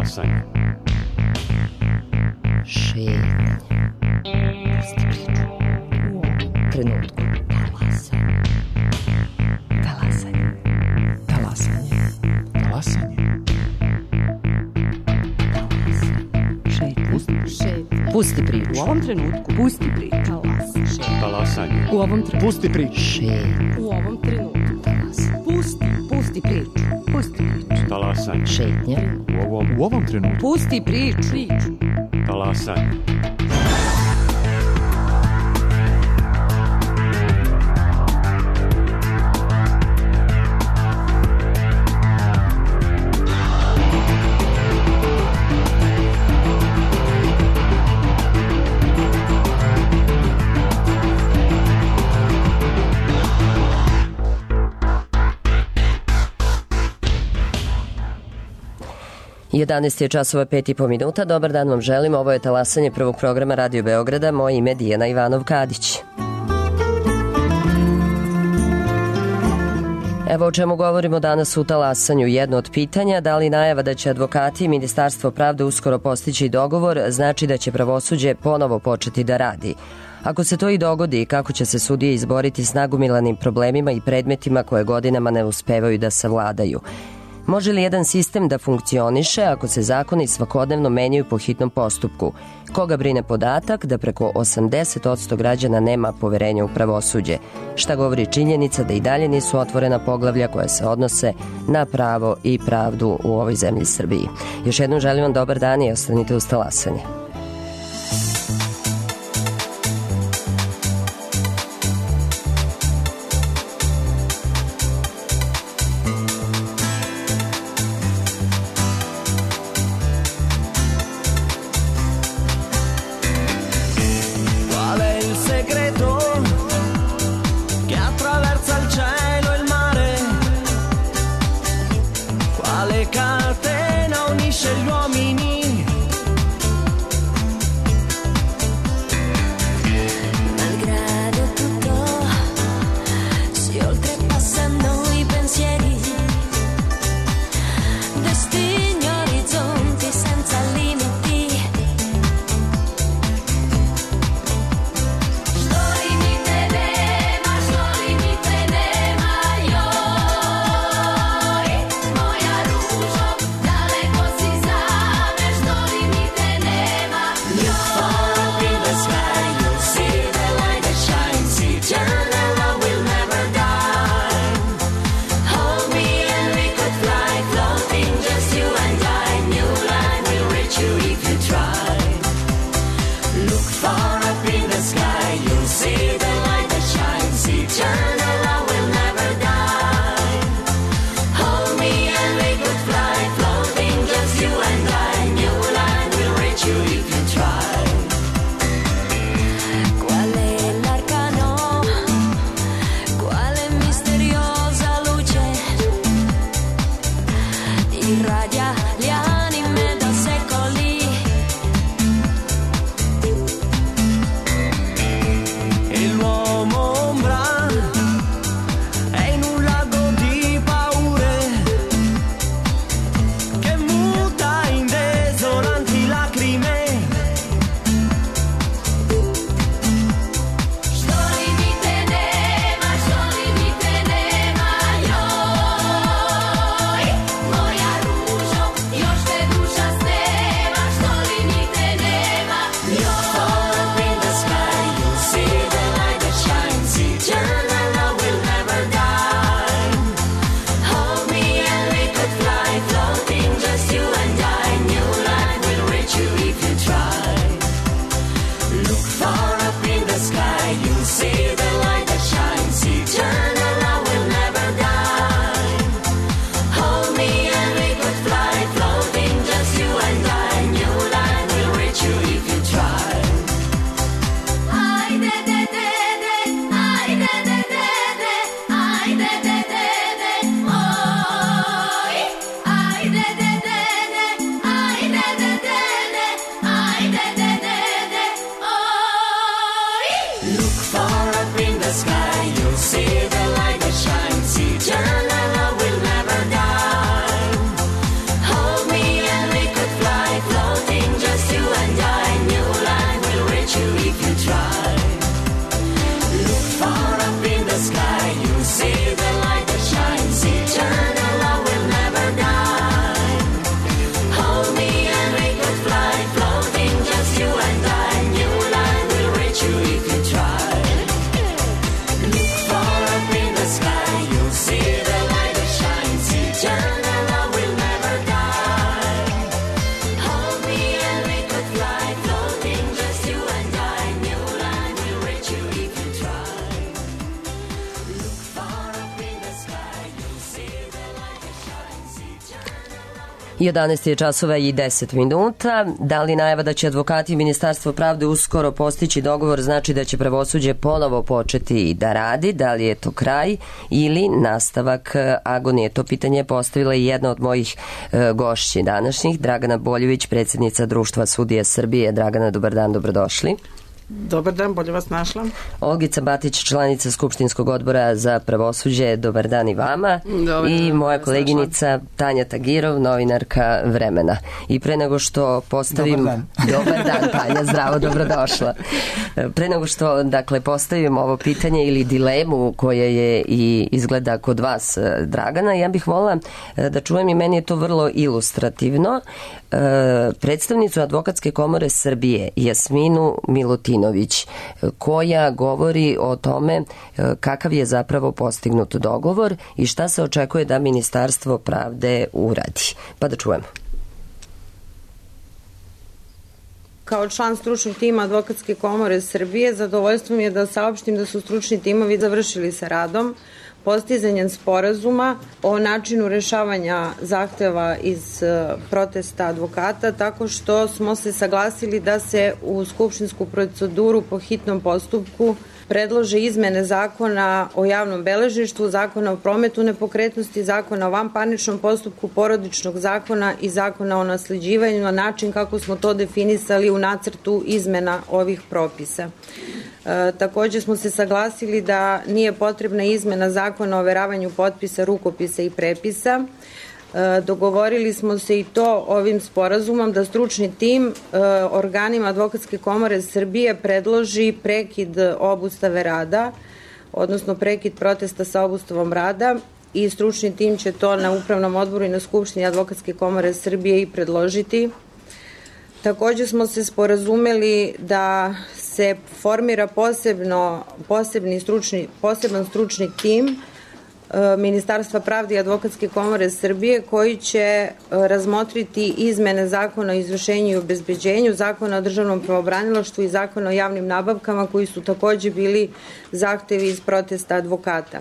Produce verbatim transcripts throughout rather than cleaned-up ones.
Talasanje. Šetnje. Pusti priču. U ovom trenutku. Talasanje. Talasanje. Talasanje. Talasanje. Šetnje. Pusti priču. U ovom trenutku. Pusti priču. Talasanje. U ovom trenutku. Pusti priču. Šetnje. U ovom trenutku. Talasanje. Pusti. Pusti priču. Pusti priču. Talasanje. Šetnje. U ovom, u ovom trenutku. Pusti priču. Priču. Talasanje. jedanaest je časova pet i po minuta. Dobar dan vam želim. Ovo je talasanje prvog programa Radio Beograda. Moje ime je Dijana Ivanov-Kadić. Evo o čemu govorimo danas u talasanju. Jedno od pitanja, da li najava da će advokati i Ministarstvo pravde uskoro postići dogovor, znači da će pravosuđe ponovo početi da radi. Ako se to i dogodi, kako će se sudije izboriti s nagomilanim problemima i predmetima koje godinama ne uspevaju da savladaju? Može li jedan sistem da funkcioniše ako se zakoni svakodnevno menjaju po hitnom postupku? Koga brine podatak da preko osamdeset posto građana nema poverenja u pravosuđe? Šta govori činjenica da i dalje nisu otvorena poglavlja koja se odnose na pravo i pravdu u ovoj zemlji Srbiji? Još jednom želim vam dobar dan i ostanite uz talasanje. Moja ružo, daleko si za jedanaest je časova i deset minuta. Da li najava da će advokati i Ministarstvo pravde uskoro postići dogovor znači da će pravosuđe ponovo početi da radi? Da li je to kraj ili nastavak agonije? To pitanje je postavila i jedna od mojih e, gošći današnjih, Dragana Boljević, predsjednica Društva sudija Srbije. Dragana, dobar dan, dobrodošli. Dobar dan, bolje vas našla. Olgica Batić, članica Skupštinskog odbora za pravosuđe, dobar dan i vama. Dobar I dan, moja koleginica Tanja Tagirov, novinarka Vremena. I pre nego što postavim... Dobar dan. Dobar dan, Tanja, zdravo, dobrodošla. Pre nego što, dakle, postavim ovo pitanje ili dilemu koje je i izgleda kod vas, Dragana, ja bih volila da čujem, i meni je to vrlo ilustrativno, predstavnicu Advokatske komore Srbije, Jasminu Milutinović, koja govori o tome kakav je zapravo postignut dogovor i šta se očekuje da Ministarstvo pravde uradi. Pa da čujemo. Kao član stručnog tima Advokatske komore Srbije, zadovoljstvo mi je da saopštim da su stručni timovi završili sa radom postizanjem sporazuma o načinu rešavanja zahteva iz protesta advokata, tako što smo se saglasili da se u skupštinsku proceduru po hitnom postupku predlože izmene zakona o javnom beležništvu, zakona o prometu nepokretnosti, zakona o vanparničnom postupku, porodičnog zakona i zakona o nasleđivanju na način kako smo to definisali u nacrtu izmena ovih propisa. E, takođe smo se saglasili da nije potrebna izmena zakona o overavanju potpisa, rukopisa i prepisa. E, dogovorili smo se i to ovim sporazumom da stručni tim e, organima Advokatske komore Srbije predloži prekid obustave rada, odnosno prekid protesta sa obustavom rada, i stručni tim će to na Upravnom odboru i na Skupštini Advokatske komore Srbije i predložiti. Takođe smo se sporazumeli da se formira posebno, posebni stručni, poseban stručni tim Ministarstva pravde i Advokatske komore Srbije koji će razmotriti izmene zakona o izvršenju i obezbeđenju, zakona o državnom pravobranilaštvu i zakona o javnim nabavkama koji su takođe bili zahtevi iz protesta advokata.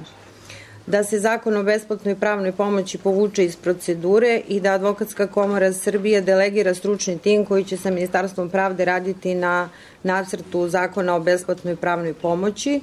Da se zakon o besplatnoj pravnoj pomoći povuče iz procedure i da Advokatska komora Srbije delegira stručni tim koji će sa Ministarstvom pravde raditi na nacrtu zakona o besplatnoj pravnoj pomoći.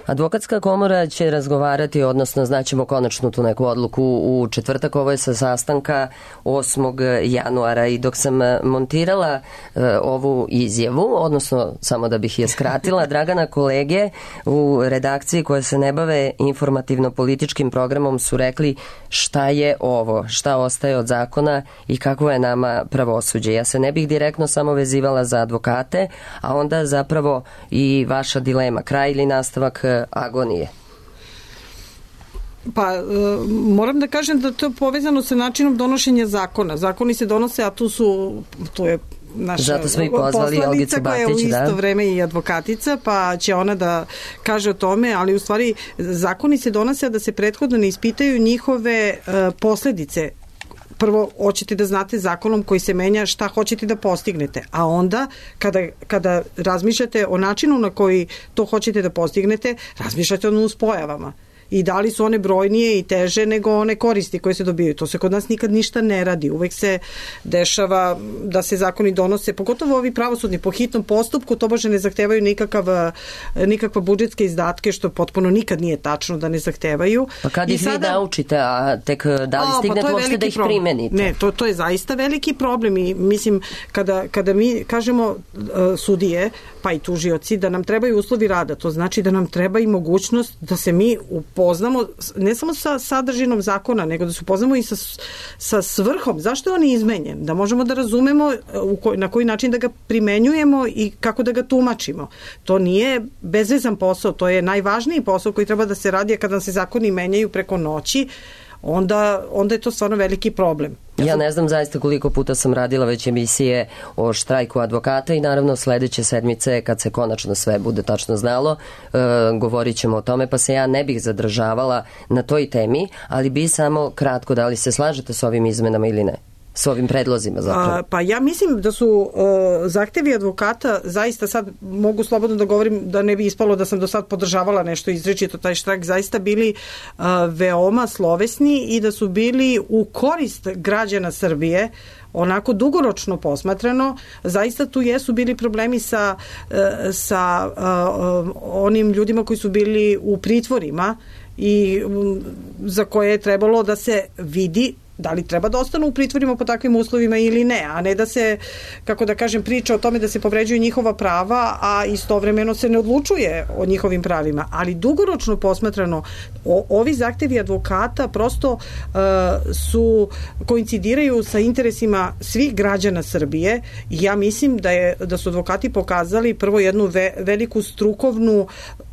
Advokatska komora će razgovarati, odnosno znaćemo konačno tu neku odluku u četvrtak. Ovo je sa sastanka osmog januara i dok sam montirala e, ovu izjavu, odnosno samo da bih je skratila, Dragana, kolege u redakciji koje se ne bave informativno-političkim programom su rekli šta je ovo, šta ostaje od zakona i kako je nama pravosuđe. Ja se ne bih direktno samo vezivala za advokate, a onda zapravo i vaša dilema, kraj ili nastavak agonije. Pa, e, moram da kažem da to je povezano sa načinom donošenja zakona. Zakoni se donose, a tu su, tu je naša Zato smo i pozvali Olgicu Batić, koja je u isto da. vreme i advokatica, pa će ona da kaže o tome, ali u stvari zakoni se donose da se prethodno ne ispitaju njihove e, posledice. Prvo, hoćete da znate zakonom koji se menja šta hoćete da postignete, a onda kada, kada razmišljate o načinu na koji to hoćete da postignete, razmišljate o nuspojavama. I da li su one brojnije i teže nego one koristi koje se dobijaju. To se kod nas nikad ništa ne radi. Uvek se dešava da se zakoni donose, pogotovo ovi pravosudni po hitnom postupku, to baš ne zahtevaju nikakav, nikakva budžetske izdatke, što potpuno nikad nije tačno da ne zahtevaju. Pa kad ih sada, vi naučite, a tek da li a, stignete pa uopšte da ih problem. primenite? Ne, to, to je zaista veliki problem i mislim kada, kada mi kažemo uh, sudije, pa i tužioci, da nam trebaju uslovi rada, to znači da nam treba i mogućnost da se mi upoznamo ne samo sa sadržinom zakona, nego da se upoznamo i sa, sa svrhom. Zašto je on izmenjen? Da možemo da razumemo u koj, na koji način da ga primenjujemo i kako da ga tumačimo. To nije bezvezan posao, to je najvažniji posao koji treba da se radi, a kada se zakoni menjaju preko noći, onda, onda je to stvarno veliki problem. Ja, ja ne znam zaista koliko puta sam radila već emisije o štrajku advokata i naravno sledeće sedmice kad se konačno sve bude tačno znalo, e, govorit ćemo o tome, pa se ja ne bih zadržavala na toj temi, ali bi samo kratko, da li se slažete s ovim izmenama ili ne? s ovim predlozima zapravo? A, pa ja mislim da su uh, zahtevi advokata zaista, sad mogu slobodno da govorim da ne bi ispalo da sam do sad podržavala nešto izričito, taj štrajk, zaista bili uh, veoma slovesni i da su bili u korist građana Srbije, onako dugoročno posmatrano. Zaista tu jesu bili problemi sa, sa uh, onim ljudima koji su bili u pritvorima i um, za koje je trebalo da se vidi da li treba da ostanu u pritvorima po takvim uslovima ili ne, a ne da se, kako da kažem, priča o tome da se povređuju njihova prava, a istovremeno se ne odlučuje o njihovim pravima. Ali dugoročno posmatrano, o, ovi zahtevi advokata prosto uh, su, koincidiraju sa interesima svih građana Srbije i ja mislim da, je, da su advokati pokazali prvo jednu ve, veliku strukovnu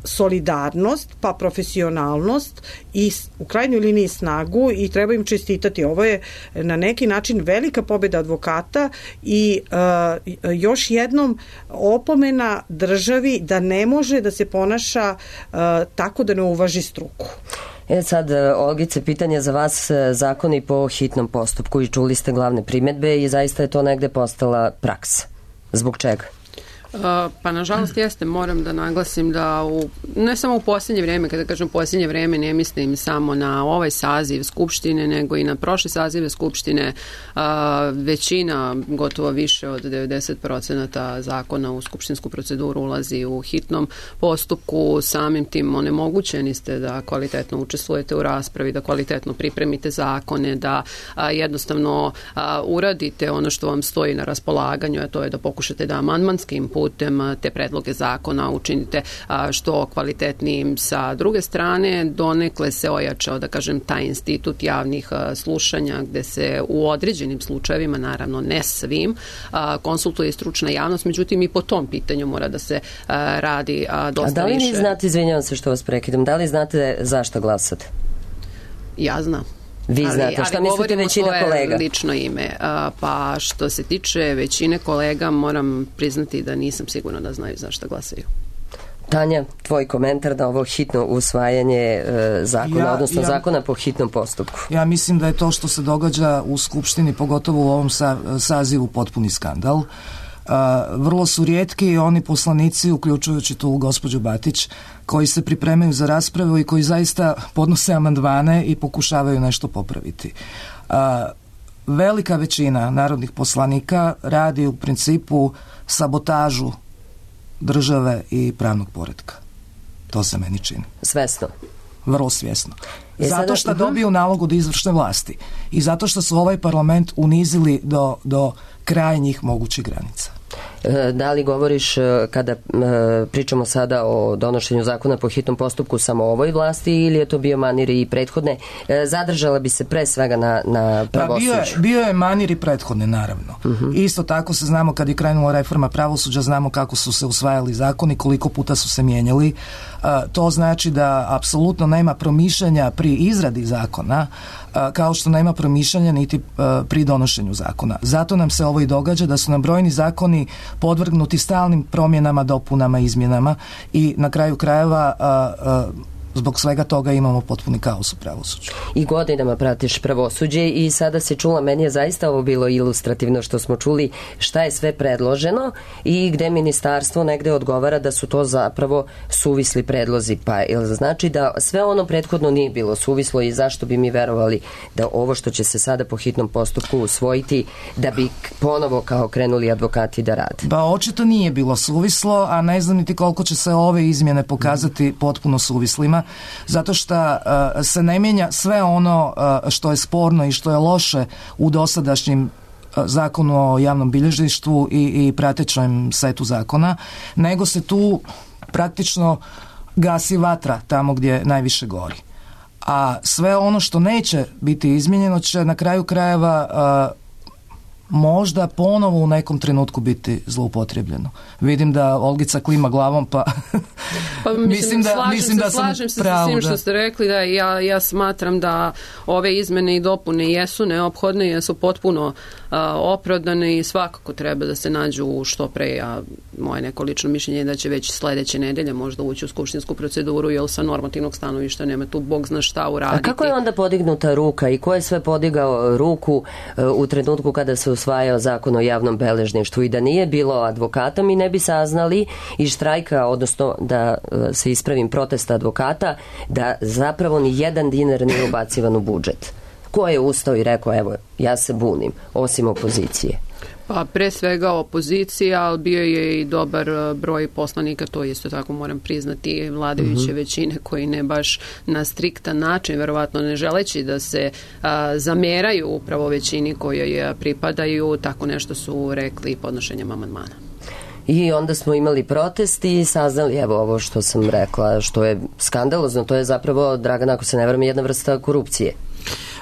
solidarnost, pa profesionalnost i u krajnjoj liniji snagu i treba im čestitati. Ovo je na neki način velika pobeda advokata i uh, još jednom opomena državi da ne može da se ponaša uh, tako da ne uvaži struku. E sad, Olgice, pitanje za vas, zakoni po hitnom postupku i čuli ste glavne primedbe i zaista je to negde postala praksa. Zbog čega? Pa nažalost jeste, moram da naglasim da u, ne samo u posljednje vreme, kada kažem posljednje vreme ne mislim samo na ovaj saziv Skupštine, nego i na prošle sazive Skupštine, a, većina, gotovo više od devedeset procenata zakona u skupštinsku proceduru ulazi u hitnom postupku, samim tim onemogućeni ste da kvalitetno učestvujete u raspravi, da kvalitetno pripremite zakone, da a, jednostavno a, uradite ono što vam stoji na raspolaganju, a to je da pokušate da amandmanskim putem te predloge zakona učinite što kvalitetnijim. Sa druge strane, donekle se ojačao, da kažem, taj institut javnih slušanja gde se u određenim slučajevima, naravno ne svim, konsultuje stručna javnost, međutim i po tom pitanju mora da se radi dosta više. A da li vi znate, izvinjavam se što vas prekidam, da li znate zašto glasate? Ja znam. Vi ali, znate, šta mislite većina kolega? Lično ime. Pa što se tiče većine kolega, moram priznati da nisam sigurna da znaju zašto glasaju. Tanja, tvoj komentar na ovo hitno usvajanje e, zakona, ja, odnosno ja, zakona po hitnom postupku. Ja mislim da je to što se događa u Skupštini, pogotovo u ovom sa, sazivu, potpuni skandal. Uh, vrlo su rijetki oni poslanici, uključujući tu gospođu Batić, koji se pripremaju za raspravu i koji zaista podnose amandmane i pokušavaju nešto popraviti. Uh, velika većina narodnih poslanika radi u principu sabotažu države i pravnog poretka. To se meni čini. Svesno? Vrlo svjesno. Zato što dobiju nalog od izvršne vlasti i zato što su ovaj parlament unizili do, do krajnjih mogućih granica. Da li govoriš, kada pričamo sada o donošenju zakona po hitnom postupku, samo ovoj vlasti ili je to bio manir i prethodne? Zadržala bi se pre svega na, na pravosuđu. Pa bio, je, bio je manir i prethodne, naravno. Uh-huh. Isto tako se znamo kad je krenula reforma pravosuđa, znamo kako su se usvajali zakoni, koliko puta su se mijenjali. Uh, to znači da apsolutno nema promišljanja pri izradi zakona, uh, kao što nema promišljanja niti uh, pri donošenju zakona. Zato nam se ovo i događa, da su nam brojni zakoni podvrgnuti stalnim promjenama, dopunama, izmjenama i na kraju krajeva a, a, zbog svega toga imamo potpuni kaos u pravosuđu. I godinama pratiš pravosuđe i sada se čula, meni je zaista ovo bilo ilustrativno što smo čuli šta je sve predloženo i gde ministarstvo negde odgovara da su to zapravo suvisli predlozi. Pa ili znači da sve ono prethodno nije bilo suvislo i zašto bi mi verovali da ovo što će se sada po hitnom postupku usvojiti da bi ponovo kao krenuli advokati da rade? Ba očito nije bilo suvislo, a ne znam niti koliko će se ove izmjene pokazati potpuno suvislima, zato što uh, se ne mijenja sve ono uh, što je sporno i što je loše u dosadašnjim uh, zakonu o javnom bilježništvu i, i pratećem setu zakona, nego se tu praktično gasi vatra tamo gdje najviše gori. A sve ono što neće biti izmijenjeno će na kraju krajeva uh, možda ponovo u nekom trenutku biti zloupotrijebljeno. Vidim da Olgica klima glavom, pa, pa mislim, mislim da, slažem mislim se, da sam slažem se pravu, sa svim što da. ste rekli, da ja, ja smatram da ove izmene i dopune jesu neophodne, jesu potpuno uh, opravdane i svakako treba da se nađu što pre, a moje neko lično mišljenje je da će već sledeće nedelje možda ući u skupštinsku proceduru, jer sa normativnog stanovišta nema tu bog zna šta uraditi. A kako je onda podignuta ruka i ko je sve podigao ruku uh, u trenutku kada se usvajao zakon o javnom beležništvu i da nije bilo advokata mi ne bi saznali i štrajka, odnosno da uh, se ispravim protesta advokata, da zapravo ni jedan dinar nije ubacivan u budžet. Ko je ustao i rekao, evo, ja se bunim, osim opozicije? Pa pre svega opozicija, ali bio je i dobar broj poslanika, to isto tako moram priznati, vladajuće uh-huh. većine koji ne baš na striktan način, verovatno ne želeći da se a, zameraju upravo većini kojoj pripadaju, tako nešto su rekli podnošenjem amandmana. I onda smo imali protest i saznali, evo ovo što sam rekla, što je skandalozno, to je zapravo, Dragana, ako se ne varam, jedna vrsta korupcije.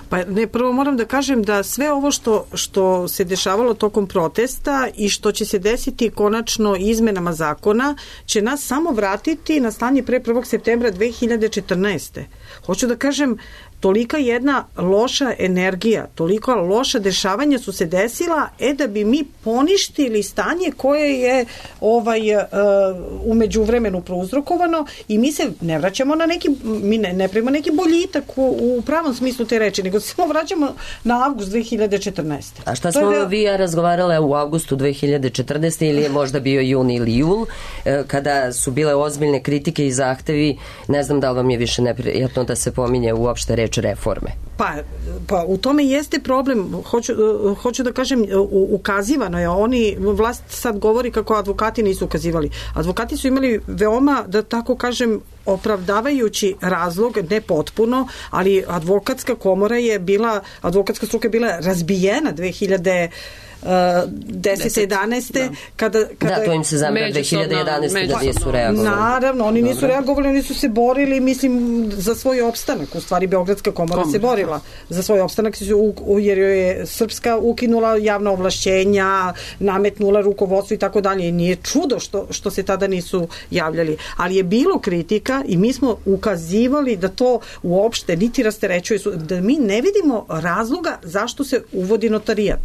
Pa ne, prvo moram da kažem da sve ovo što, što se dešavalo tokom protesta i što će se desiti konačno izmenama zakona će nas samo vratiti na stanje pre prvog septembra dve hiljade četrnaeste. Hoću da kažem, tolika jedna loša energija, toliko loša dešavanja su se desila, e da bi mi poništili stanje koje je ovaj uh, umeđu vremenu prouzrokovano i mi se ne vraćamo na neki, mi ne, ne primamo neki boljitak u, u pravom smislu te reči, nego se samo vraćamo na avgust dve hiljade četrnaeste. A šta smo vi ja razgovarale u avgustu dve hiljade četrnaeste ili je možda bio jun ili jul, kada su bile ozbiljne kritike i zahtevi, ne znam da li vam je više neprijatno da se pominje uopšte reč reforme. Pa, pa u tome jeste problem. Hoću, hoću da kažem, ukazivano je. Oni, vlast sad govori kako advokati nisu ukazivali. Advokati su imali veoma, da tako kažem, opravdavajući razlog, ne potpuno, ali advokatska komora je bila, advokatska struka je bila razbijena dve hiljade desete jedanaeste Da. Kada, kada da, to im se zamera dve hiljade jedanaeste da nisu reagovali. Naravno, oni nisu Dobre. reagovali, oni su se borili, mislim, za svoj opstanak. U stvari, Beogradska komora Kom? se borila za svoj opstanak, jer je Srpska ukinula javna ovlašćenja, nametnula rukovodstvo i tako dalje. I nije čudo što, što se tada nisu javljali. Ali je bilo kritika i mi smo ukazivali da to uopšte niti rasterećuje, da mi ne vidimo razloga zašto se uvodi notarijat.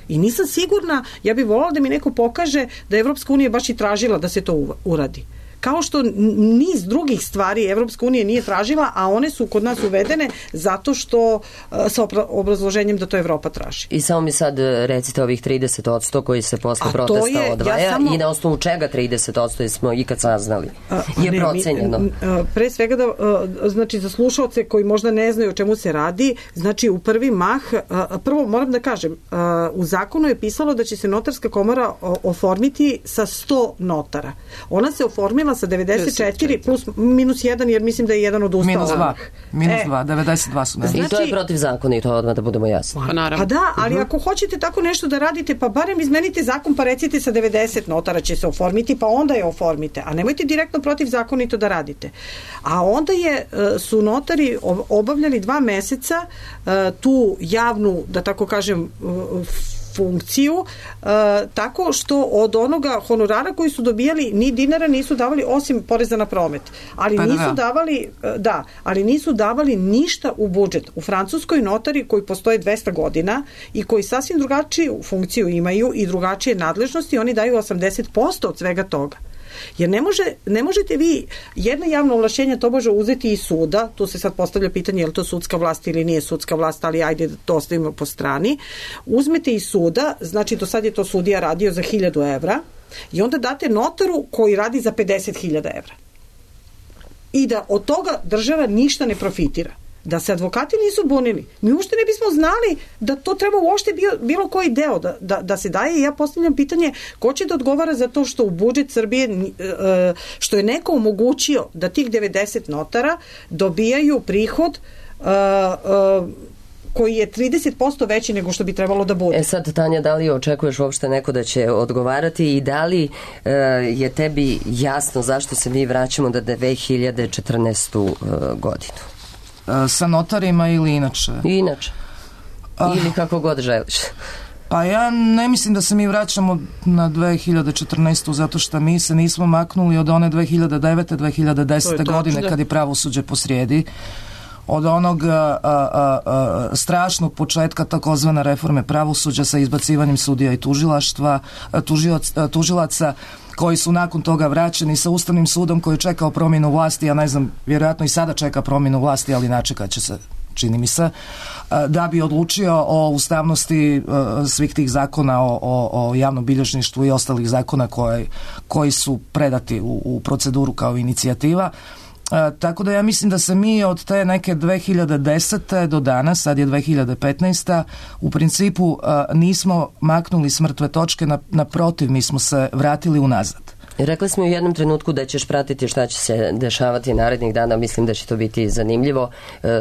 I nisam sigurna, ja bih voljela da mi neko pokaže da Evropska unija baš i tražila da se to uradi. Kao što niz drugih stvari Evropska unija nije tražila, a one su kod nas uvedene zato što sa obrazloženjem da to Evropa traži. I samo mi sad recite ovih trideset posto koji se posle a protesta je, odvaja ja samo, i na osnovu čega trideset posto smo ikad saznali? A, je ne, procenjeno. Mi, pre svega da, znači za slušalce koji možda ne znaju o čemu se radi, znači u prvi mah, prvo moram da kažem, u zakonu je pisalo da će se notarska komora oformiti sa sto notara. Ona se oformila sa devedeset četiri plus minus jedan, jer mislim da je jedan od ustava. Minus dva. Minus e, dva, devedeset dva su. Znači, i to je protiv zakona i to odmah da budemo jasni. Pa, naravno. Pa da, ali uh-huh. ako hoćete tako nešto da radite, pa barem izmenite zakon, pa recite sa devedeset notara će se oformiti, pa onda je oformite. A nemojte direktno protiv zakonito da radite. A onda je, su notari obavljali dva meseca tu javnu, da tako kažem, funkciju, uh, tako što od onoga honorara koji su dobijali ni dinara nisu davali osim poreza na promet. Ali pa nisu da. davali, uh, da, ali nisu davali ništa u budžet. U Francuskoj notari koji postoje dvesta godina i koji sasvim drugačiju funkciju imaju i drugačije nadležnosti, oni daju osamdeset posto od svega toga. Jer ne, može, ne možete vi jedno javno ovlašćenje to može uzeti iz suda, tu se sad postavlja pitanje je li to sudska vlast ili nije sudska vlast, ali ajde da to ostavimo po strani. Uzmete iz suda, znači do sad je to sudija radio za hiljadu evra i onda date notaru koji radi za pedeset hiljada evra. I da od toga država ništa ne profitira. Da se advokati nisu bunili, mi uopšte ne bismo znali da to treba uopšte bio, bilo koji deo da, da, da se daje. I ja postavljam pitanje ko će da odgovara za to što u budžet Srbije, što je neko omogućio da tih devedeset notara dobijaju prihod uh, uh, koji je trideset posto veći nego što bi trebalo da bude. E sad, Tanja, da li očekuješ uopšte neko da će odgovarati i da li uh, je tebi jasno zašto se mi vraćamo do dve hiljade četrnaestu uh, godinu? Sa notarima ili inače? Inače. Ili kako god želiš. Pa ja ne mislim da se mi vraćamo na dve hiljade četrnaestu zato što mi se nismo maknuli od one dve hiljade devete dve hiljade desete godine kad je pravosuđe posrijedi. Od onog a, a, a, strašnog početka takozvane reforme pravosuđa sa izbacivanjem sudija i tužilaštva, tužilac, tužilaca koji su nakon toga vraćeni sa Ustavnim sudom koji je čekao promjenu vlasti, ja ne znam, vjerojatno i sada čeka promjenu vlasti, ali načekat će se, čini mi se, da bi odlučio o ustavnosti svih tih zakona o, o, o javnom bilježništvu i ostalih zakona koji, koji su predati u, u proceduru kao inicijativa. E, tako da ja mislim da se mi od te neke dve hiljade desete do danas, sad je dve hiljade petnaesta, u principu e, nismo maknuli s mrtve točke, na, naprotiv, mi smo se vratili unazad. Rekla smo u jednom trenutku da ćeš pratiti šta će se dešavati narednih dana, mislim da će to biti zanimljivo.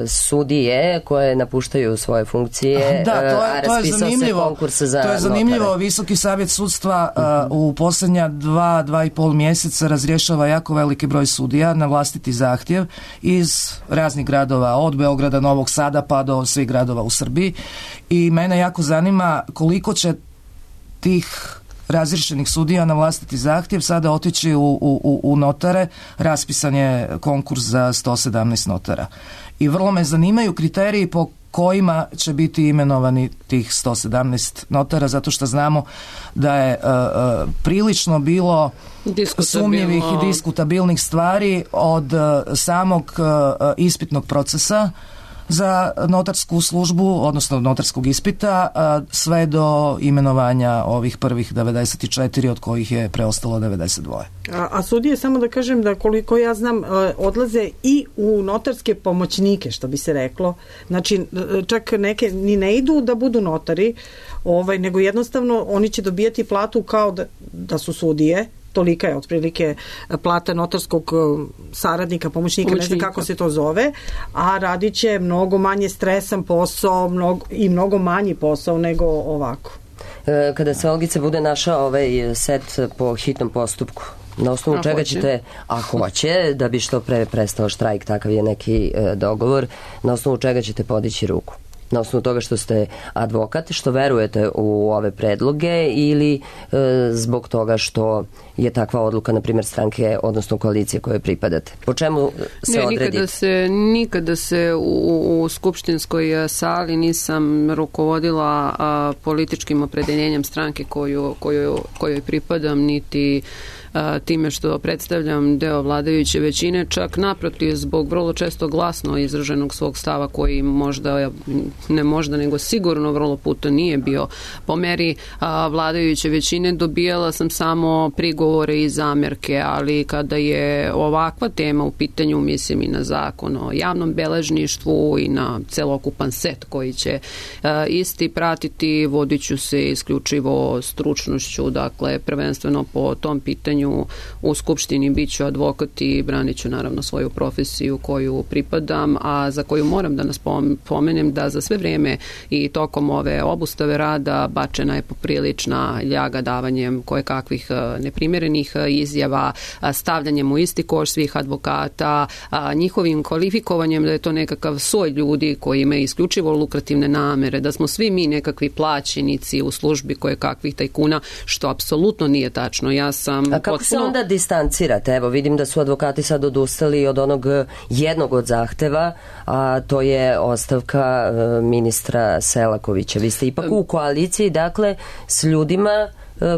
Sudije koje napuštaju svoje funkcije, da, to je, a raspisao se konkurs za to je zanimljivo. notare. Visoki savjet sudstva uh, u posljednja dva, dva i pol mjeseca razrješava jako veliki broj sudija na vlastiti zahtjev iz raznih gradova, od Beograda, Novog Sada pa do svih gradova u Srbiji, i mene jako zanima koliko će tih razriješenih sudija na vlastiti zahtjev sada otići u, u, u notare. Raspisan je konkurs za sto sedamnaest notara. I vrlo me zanimaju kriteriji po kojima će biti imenovani tih sto sedamnaest notara, zato što znamo da je uh, uh, prilično bilo sumnjivih i diskutabilnih stvari od uh, samog uh, ispitnog procesa za notarsku službu, odnosno notarskog ispita, sve do imenovanja ovih prvih devedeset četiri, od kojih je preostalo devedeset dva. A, a sudije, samo da kažem da koliko ja znam, odlaze i u notarske pomoćnike, što bi se reklo. Znači, čak neke ni ne idu da budu notari, ovaj, nego jednostavno oni će dobijati platu kao da, da su sudije. Tolika je otprilike plata notarskog saradnika, pomoćnika, pomoćnika, ne znam kako se to zove, a radit će mnogo manje stresan posao mnogo, i mnogo manji posao nego ovako. Kada se Olgice bude našao ovaj set po hitnom postupku, na osnovu a čega hoće. ćete, a hoće, da bi što pre prestao štrajk, takav je neki e, dogovor, na osnovu čega ćete podići ruku? Na osnovu toga što ste advokat, što verujete u ove predloge, ili e, zbog toga što je takva odluka, na primjer, stranke, odnosno koalicije koje pripadate? Po čemu se ne, odredite? Nikada se, nikada se u, u skupštinskoj sali nisam rukovodila a, političkim opredeljenjem stranke koju, koju, kojoj pripadam, niti a, time što predstavljam deo vladajuće većine, čak naprotiv, zbog vrlo često glasno izraženog svog stava koji možda, ne možda, nego sigurno vrlo puta nije bio po meri a, vladajuće većine, dobijala sam samo prigovore i zamerke, ali kada je ovakva tema u pitanju, mislim i na zakon o javnom beležništvu i na celokupan set koji će a, isti pratiti, vodit ću se isključivo stručnošću, dakle prvenstveno po tom pitanju u Skupštini biću advokat i branit ću naravno svoju profesiju koju pripadam, a za koju moram da nas pomenem da za sve vrijeme i tokom ove obustave rada bačena je poprilična ljaga davanjem kojekakvih neprimjerenih izjava, stavljanjem u isti koš svih advokata, njihovim kvalifikovanjem da je to nekakav soj ljudi koji imaju isključivo lukrativne namere, da smo svi mi nekakvi plaćenici u službi kojekakvih tajkuna, što apsolutno nije tačno. Ja sam A kako potpuno... se onda distancirate? Evo, vidim da su advokati sad odustali od onog jednog od zahteva, a to je ostavka ministra Selakovića. Vi ste ipak u koaliciji, dakle, s ljudima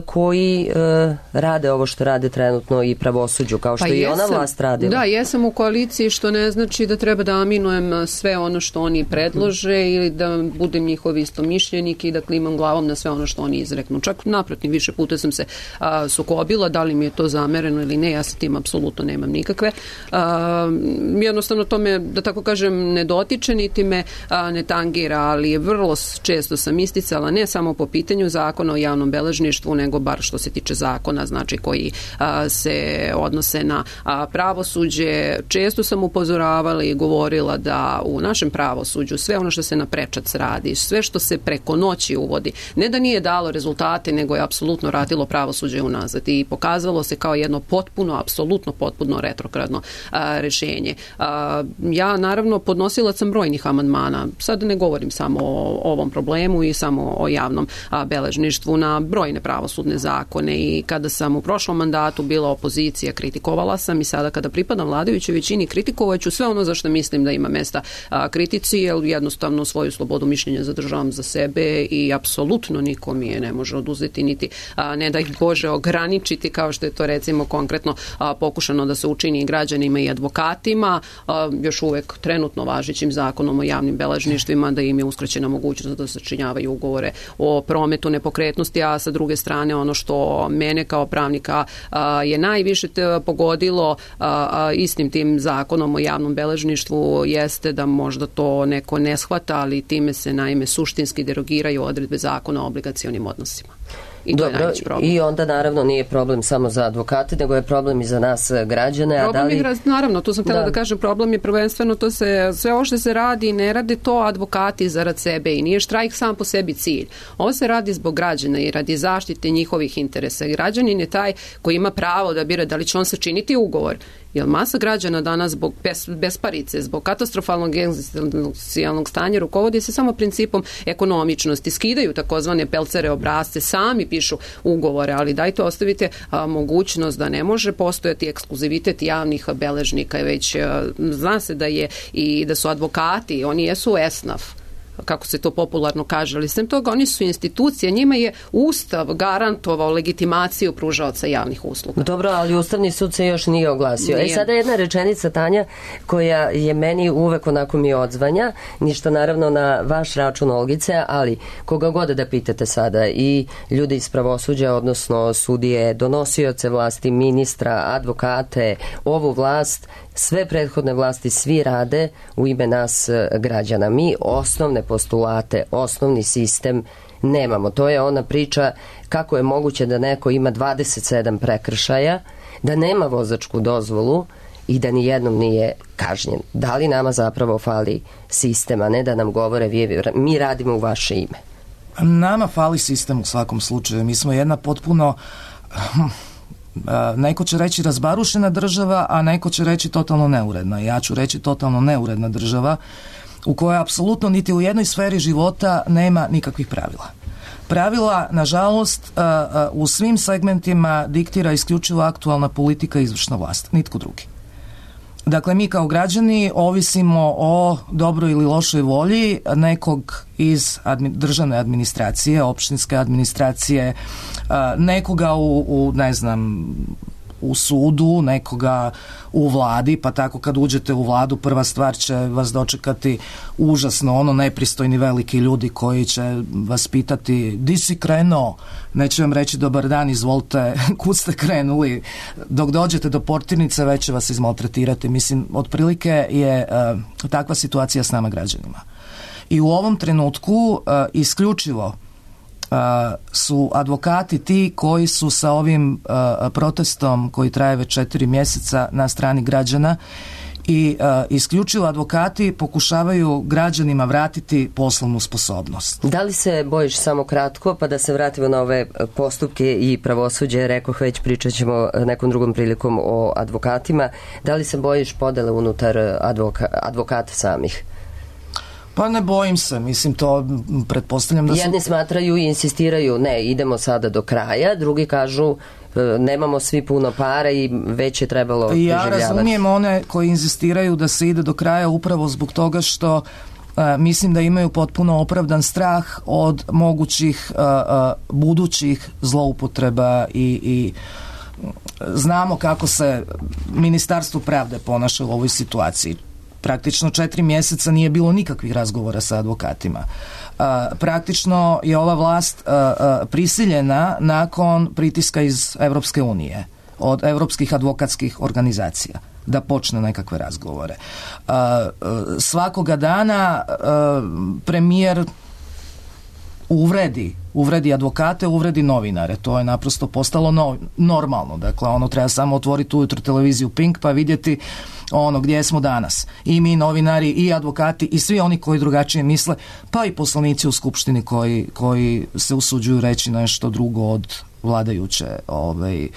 koji e, rade ovo što rade trenutno i pravosuđu, kao što pa i jesam, ona vlast radila. Da, jesam u koaliciji, što ne znači da treba da aminujem sve ono što oni predlože hmm. ili da budem njihov istomišljenik i da klimam glavom na sve ono što oni izreknu. Čak naprotiv, više puta sam se a, sukobila, da li mi je to zamereno ili ne, ja sa tim apsolutno nemam nikakve. A, jednostavno to me, da tako kažem, ne dotiče, niti me a, ne tangira, ali vrlo često sam isticala, ne samo po pitanju zakona o javnom beležništvu, društvu, nego bar što se tiče zakona, znači koji a, se odnose na a, pravosuđe. Često sam upozoravala i govorila da u našem pravosuđu sve ono što se na prečac radi, sve što se preko noći uvodi, ne da nije dalo rezultate, nego je apsolutno radilo pravosuđe unazad i pokazalo se kao jedno potpuno, apsolutno potpuno retrogradno a, rešenje. A, ja naravno podnosila sam brojnih amandmana, sad ne govorim samo o ovom problemu i samo o javnom a, beležništvu, na brojne pravosudne zakone, i kada sam u prošlom mandatu bila opozicija, kritikovala sam, i sada kada pripadam vladajućoj većini kritikovat ću sve ono za što mislim da ima mesta a, kritici, jer jednostavno svoju slobodu mišljenja zadržavam za sebe i apsolutno niko mi je ne može oduzeti, niti a, ne da ih Bože ograničiti, kao što je to recimo konkretno a, pokušano da se učini i građanima i advokatima, a, još uvek trenutno važećim zakonom o javnim beležništvima, da im je uskraćena mogućnost da sačinjavaju ugovore o prometu nepokretnosti, a sa druge strane ono što mene kao pravnika a, je najviše te pogodilo a, a, istim tim zakonom o javnom beležništvu jeste da možda to neko ne shvata, ali time se naime suštinski derogiraju odredbe zakona o obligacionim odnosima. I, Dobro, i onda naravno nije problem samo za advokate, nego je problem i za nas građane. Problem a da li... je, naravno, to sam htjela da. da kažem, problem je prvenstveno to se, sve ovo što se radi, ne rade to advokati zarad sebe i nije štrajk sam po sebi cilj. Ovo se radi zbog građana i radi zaštite njihovih interesa. Građanin je taj koji ima pravo da bira da li će on sačiniti ugovor. Jer masa građana danas zbog bes, besparice, zbog katastrofalnog egzistencijalnog stanja rukovodi se samo principom ekonomičnosti. Skidaju takozvane pelcere obrazce, sami pišu ugovore, ali dajte ostavite a, mogućnost da ne može postojati ekskluzivitet javnih beležnika, već a, zna se da je i da su advokati, oni jesu esnaf, kako se to popularno kaže, ali sem toga oni su institucije, njima je Ustav garantovao legitimaciju pružaoca javnih usluga. Dobro, ali Ustavni sud se još nije oglasio. Nije. E sada jedna rečenica, Tanja, koja je meni uvek onako mi odzvanja, ništa naravno na vaš račun, Olgice, ali koga god da pitate sada, i ljudi iz pravosuđa, odnosno sudije, donosioce vlasti, ministra, advokate, ovu vlast, sve prethodne vlasti, svi rade u ime nas građana. Mi osnovne postulate, osnovni sistem nemamo. To je ona priča kako je moguće da neko ima dvadeset sedam prekršaja, da nema vozačku dozvolu i da ni jednom nije kažnjen. Da li nama zapravo fali sistem, a ne da nam govore mi radimo u vaše ime? Nama fali sistem u svakom slučaju. Mi smo jedna potpuno... neko će reći razbarušena država, a neko će reći totalno neuredna. Ja ću reći totalno neuredna država u kojoj apsolutno niti u jednoj sferi života nema nikakvih pravila. Pravila, nažalost, u svim segmentima diktira isključivo aktualna politika i izvršna vlast, nitko drugi. Dakle, mi kao građani ovisimo o dobroj ili lošoj volji nekog iz admi, državne administracije, opštinske administracije, nekoga u, u ne znam, u sudu, nekoga u vladi, pa tako kad uđete u vladu prva stvar će vas dočekati užasno ono nepristojni veliki ljudi koji će vas pitati di si krenuo, neće vam reći dobar dan, izvolite, kud ste krenuli, dok dođete do portirnice već će vas izmaltretirati. Mislim, otprilike je uh, takva situacija s nama građanima. I u ovom trenutku uh, isključivo Uh, su advokati ti koji su sa ovim uh, protestom koji traje već četiri mjeseca na strani građana i uh, isključivo advokati pokušavaju građanima vratiti poslovnu sposobnost. Da li se bojiš, samo kratko, pa da se vratimo na ove postupke i pravosuđe, rekoh već pričat ćemo nekom drugom prilikom o advokatima, da li se bojiš podele unutar advoka, advokata samih? Pa ne bojim se, mislim to pretpostavljam da su... Jedni smatraju i insistiraju, ne, idemo sada do kraja, drugi kažu nemamo svi puno para i već je trebalo preživljavati. Ja razumijem one koji insistiraju da se ide do kraja upravo zbog toga što uh, mislim da imaju potpuno opravdan strah od mogućih uh, uh, budućih zloupotreba i, i znamo kako se Ministarstvo pravde ponaša u ovoj situaciji. Praktično četiri mjeseca nije bilo nikakvih razgovora sa advokatima. Uh, praktično je ova vlast uh, uh, prisiljena nakon pritiska iz Evropske unije, od evropskih advokatskih organizacija, da počne nekakve razgovore. Uh, uh, svakoga dana uh, premijer uvredi uvredi advokate, uvredi novinare. To je naprosto postalo no, normalno. Dakle, ono treba samo otvoriti ujutro televiziju Pink pa vidjeti ono gdje smo danas. I mi novinari, i advokati, i svi oni koji drugačije misle, pa i poslanici u Skupštini koji, koji se usuđuju reći nešto drugo od vladajuće ovaj,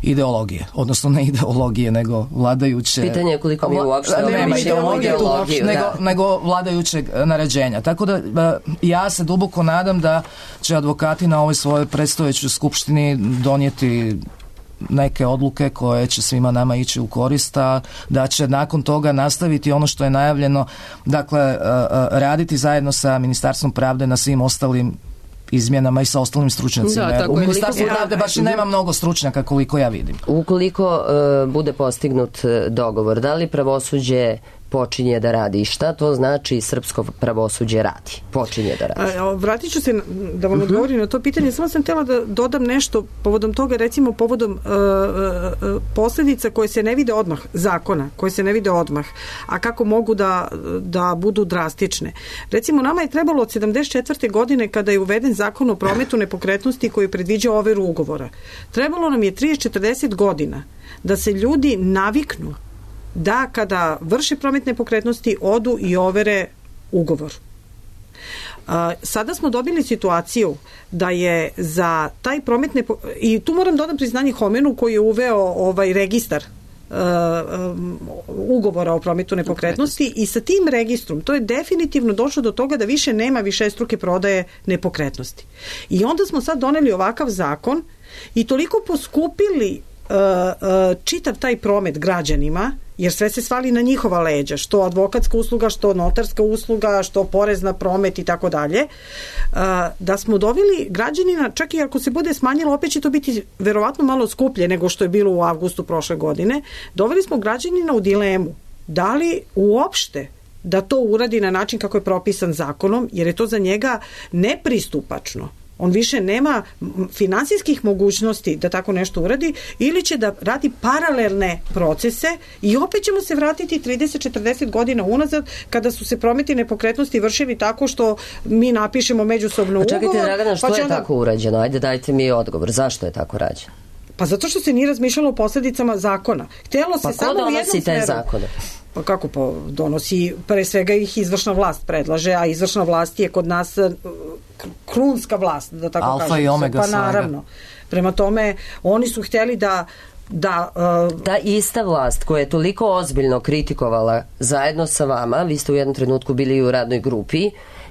ideologije. Odnosno ne ideologije, nego vladajuće... Pitanje je koliko mi uopšte nema ideologije, ideologiju, nego, nego vladajućeg naređenja. Tako da ja se duboko nadam da će advokati na ovoj svojoj predstojećoj Skupštini donijeti neke odluke koje će svima nama ići u korist, a da će nakon toga nastaviti ono što je najavljeno, dakle raditi zajedno sa Ministarstvom pravde na svim ostalim izmjenama i sa ostalim stručnjacima. Da, u Ministarstvu pravde baš i nema mnogo stručnjaka koliko ja vidim. Ukoliko uh, bude postignut dogovor, da li pravosuđe počinje da radi i šta to znači srpsko pravosuđe radi? Počinje da radi. A, vratit ću se da vam odgovorim na to pitanje. Samo sam htjela da dodam nešto povodom toga, recimo povodom uh, uh, posljedica koje se ne vide odmah, zakona, koje se ne vide odmah, a kako mogu da, da budu drastične. Recimo, nama je trebalo od sedamdeset četvrte godine kada je uveden zakon o prometu nepokretnosti koji predviđa overu ugovora. Trebalo nam je trideset do četrdeset godina da se ljudi naviknu da kada vrše promet nepokretnosti odu i overe ugovor. A, sada smo dobili situaciju da je za taj promet nepo... i tu moram dodati priznanje Homenu koji je uveo ovaj registar uh, um, ugovora o prometu nepokretnosti i sa tim registrom to je definitivno došlo do toga da više nema višestruke prodaje nepokretnosti. I onda smo sad doneli ovakav zakon i toliko poskupili uh, uh, čitav taj promet građanima, jer sve se svali na njihova leđa, što advokatska usluga, što notarska usluga, što porez na promet i tako dalje, da smo doveli građanina, čak i ako se bude smanjilo, opet će to biti verovatno malo skuplje nego što je bilo u avgustu prošle godine, doveli smo građanina u dilemu, da li uopšte da to uradi na način kako je propisan zakonom, jer je to za njega nepristupačno. On više nema finansijskih mogućnosti da tako nešto uradi ili će da radi paralelne procese i opet ćemo se vratiti trideset do četrdeset godina unazad kada su se prometi nepokretnosti vršili tako što mi napišemo međusobno ugovor. Pa čekajte, Dragana, što pa je onda... tako urađeno? Ajde, dajte mi odgovor. Zašto je tako rađeno? Pa zato što se nije razmišljalo o posljedicama zakona. Htjelo se pa samo u jednom donosi te smeru. zakone? Pa kako pa donosi, pre svega ih izvršna vlast predlaže, a izvršna vlast je kod nas krunska vlast, da tako Alfa kažem. I omega pa naravno. Prema tome, oni su htjeli da da... Uh, ta ista vlast koja je toliko ozbiljno kritikovala zajedno sa vama, vi ste u jednom trenutku bili u radnoj grupi,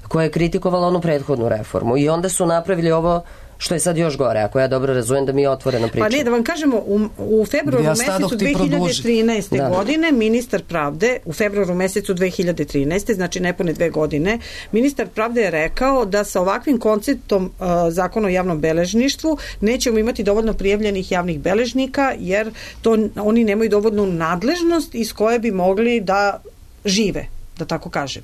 koja je kritikovala onu prethodnu reformu i onda su napravili ovo što je sad još gore, ako ja dobro razumijem da mi je otvoreno pričamo. Pa ne, da vam kažemo, u, u februaru ja mesecu dve hiljade trinaeste. Da. godine ministar pravde, u februaru mesecu dve hiljade trinaeste. znači nepune dve godine, ministar pravde je rekao da sa ovakvim konceptom uh, zakona o javnom beležništvu nećemo imati dovoljno prijavljenih javnih beležnika, jer to oni nemaju dovoljnu nadležnost iz koje bi mogli da žive, da tako kažem.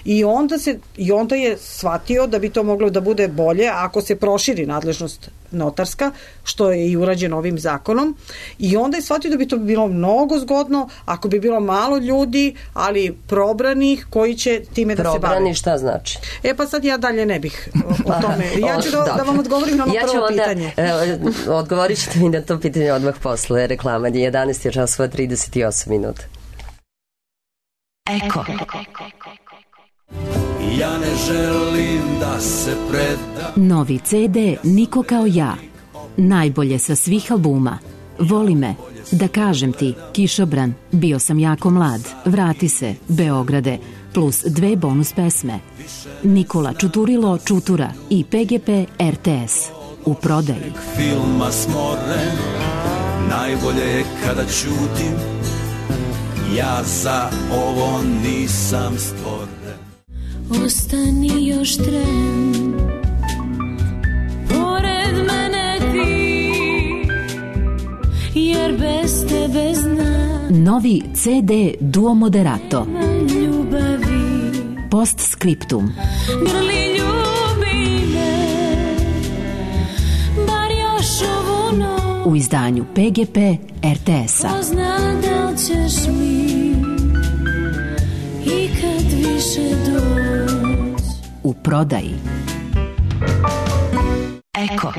I onda, se, I onda je shvatio da bi to moglo da bude bolje ako se proširi nadležnost notarska, što je i urađeno ovim zakonom. I onda je shvatio da bi to bilo mnogo zgodno ako bi bilo malo ljudi, ali probranih koji će time da Probrani, se bave. Probrani šta znači? E pa sad ja dalje ne bih o tome. Ja ću da, da vam odgovorim na ono ja prvo onda, pitanje. E, odgovorit ćete mi na to pitanje odmah posle reklama. jedanaest je časova trideset osam minuta. Eko. Ja ne želim da se predam. Novi ce de Niko kao ja. Najbolje sa svih albuma. Voli me, da kažem ti, Kišobran, Bio sam jako mlad, Vrati se, Beograde, plus dve bonus pesme. Nikola Čuturilo Čutura i pe ge pe er te es. U prodaji. Filma smoren, najbolje je kada ćutim. Ja za ovo nisam stvoren. Ostani još tren, pored mene ti, jer bez tebe znam. Novi ce de Duo Moderato. Ljubavi. Postscriptum. Grli ljubi me, bar još ovu noć. U izdanju pe ge pe er te es-a. Ko zna da li ćeš mi ikad više doći. U prodaji. Eko.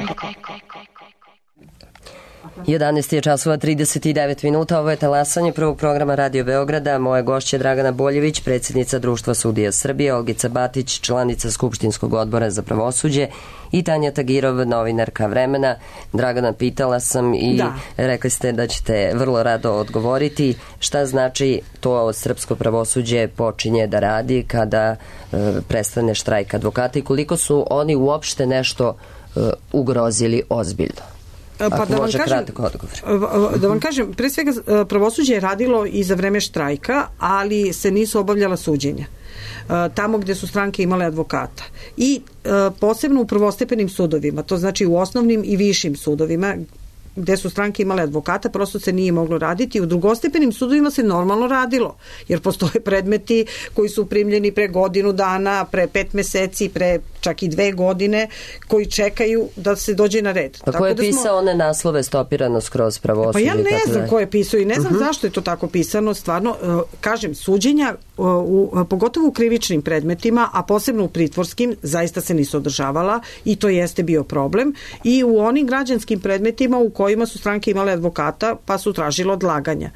jedanaest je časova trideset devet minuta, ovo je talasanje prvog programa Radio Beograda. Moja gošća je Dragana Boljević, predsjednica Društva sudija Srbije, Olgica Batić, članica Skupštinskog odbora za pravosuđe i Tanja Tagirov, novinarka Vremena. Dragana, pitala sam i da. Rekli ste da ćete vrlo rado odgovoriti šta znači to srpsko pravosuđe počinje da radi kada e, prestane štrajk advokata i koliko su oni uopšte nešto e, ugrozili ozbiljno. Pa da vam, kažem, da vam kažem, pre svega pravosuđe je radilo i za vreme štrajka, ali se nisu obavljala suđenja tamo gde su stranke imale advokata. I posebno u prvostepenim sudovima, to znači u osnovnim i višim sudovima, gde su stranke imale advokata, prosto se nije moglo raditi. U drugostepenim sudovima se normalno radilo, jer postoje predmeti koji su primljeni pre godinu dana, pre pet meseci, pre čak i dve godine, koji čekaju da se dođe na red. Pa ko je da pisao smo... one naslove stopirano skroz pravosuđe? Pa ja ne znam ko je pisao i ne znam uh-huh. zašto je to tako pisano. Stvarno, kažem, suđenja, u, u, pogotovo u krivičnim predmetima, a posebno u pritvorskim, zaista se nisu održavala i to jeste bio problem. I u onim građanskim predmetima u kojima su stranke imale advokata, pa su tražile odlaganja.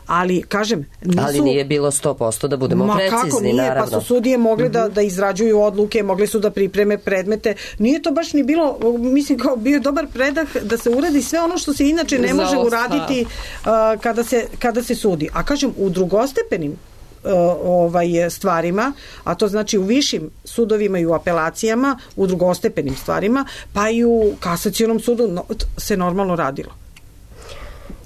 Ali, kažem, nisu... Ali nije bilo sto posto da budemo Ma, precizni, kako nije, naravno. Pa su sudije mogli uh-huh. da, da izrađuju odluke, mogli su da pripreme predmete. Nije to baš ni bilo, mislim, kao bio je dobar predah da se uradi sve ono što se inače ne može uraditi uh, kada, se, kada se sudi. A kažem, u drugostepenim uh, ovaj, stvarima, a to znači u višim sudovima i u apelacijama, u drugostepenim stvarima, pa i u kasacionom sudu no, se normalno radilo.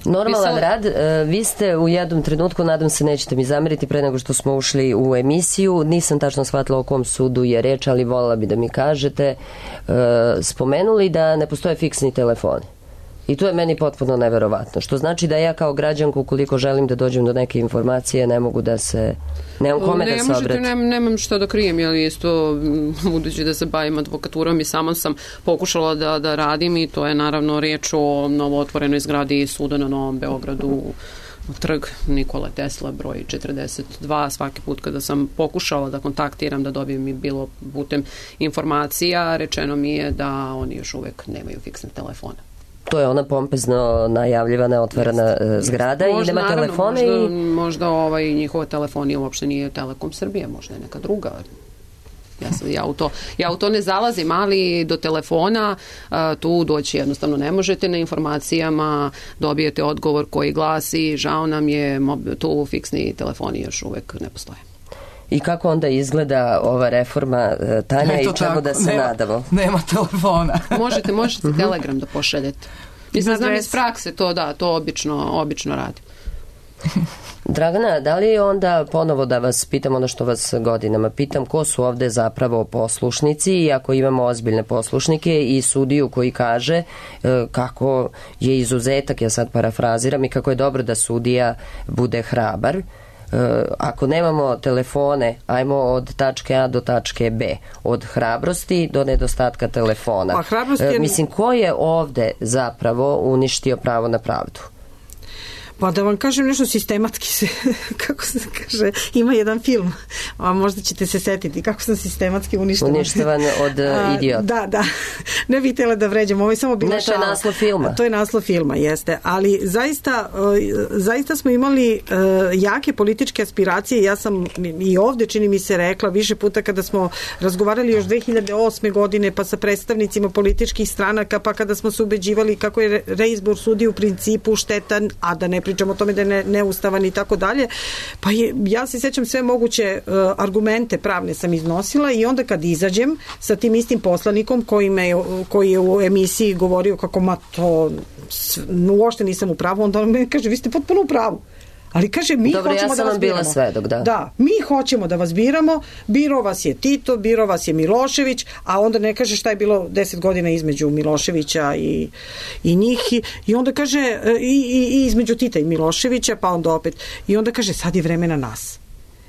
Normalan rad, vi ste u jednom trenutku, nadam se nećete mi zameriti pre nego što smo ušli u emisiju, nisam tačno shvatila o kom sudu je reč, ali voljela bi da mi kažete, spomenuli da ne postoje fiksni telefoni. I to je meni potpuno neverovatno, što znači da ja kao građanku, ukoliko želim da dođem do neke informacije, ne mogu da se, nemam kome ne, da se obratim. Ne, nemam što da krijem, jer isto budući da se bavim advokaturom i sama sam pokušala da, da radim i to je naravno riječ o novootvorenoj zgradi suda na Novom Beogradu, trg Nikole Tesla, broj četrdeset dva. Svaki put kada sam pokušala da kontaktiram, da dobijem i bilo putem informacija, rečeno mi je da oni još uvek nemaju fiksne telefone. To je ona pompezno najavljivana otvorena zgrada možda, i nema naravno, telefone možda, i... možda ovaj, njihova telefonija uopšte nije Telekom Srbije, možda je neka druga. Ja, sam, ja, u to, ja u to ne zalazim, ali do telefona a, tu doći jednostavno ne možete. Na informacijama dobijete odgovor koji glasi žao nam je, tu fiksni telefoni još uvek ne postoje. I kako onda izgleda ova reforma, Tanja, i čemu tako, da se nema, nadamo? Nema telefona. Možete, možete telegram da pošaljete. Mislim, znam iz prakse to da, to obično, obično radi. Dragana, da li onda ponovo da vas pitam ono što vas godinama pitam, ko su ovde zapravo poslušnici i ako imamo ozbiljne poslušnike i sudiju koji kaže e, kako je izuzetak, ja sad parafraziram, i kako je dobro da sudija bude hrabar. Uh, ako nemamo telefone, ajmo od tačke A do tačke B, od hrabrosti do nedostatka telefona. Pa, hrabrost je... uh, mislim, ko je ovde zapravo uništio pravo na pravdu? Pa da vam kažem nešto sistematski se, kako se kaže, ima jedan film, a možda ćete se setiti kako sam sistematski uništavan. Uništavan od uh, idiota. Da, da. Ne bih htjela da vređam, ovo je samo bila šala. Ne, to je naslov filma. To je naslov filma, jeste. Ali zaista, zaista smo imali jake političke aspiracije. Ja sam i ovde, čini mi se, rekla više puta kada smo razgovarali još dve hiljade osme godine, pa sa predstavnicima političkih stranaka, pa kada smo se ubeđivali kako je reizbor sudija u principu štetan, a da ne pričamo o tome da je ne, neustavan i tako dalje. Pa je, ja se sjećam sve moguće uh, argumente pravne sam iznosila i onda kad izađem sa tim istim poslanikom koji, me, koji je u emisiji govorio kako ma to uopšte nisam u pravu, onda on me kaže vi ste potpuno u pravu. Ali kaže, mi Dobre, hoćemo ja da vas biramo. Svedok, da. da, mi hoćemo da vas biramo, biro vas je Tito, biro vas je Milošević, a onda ne kaže šta je bilo deset godina između Miloševića i, i njih. I, i onda kaže, i, i, i između Tita i Miloševića, pa onda opet. I onda kaže, sad je vreme na nas.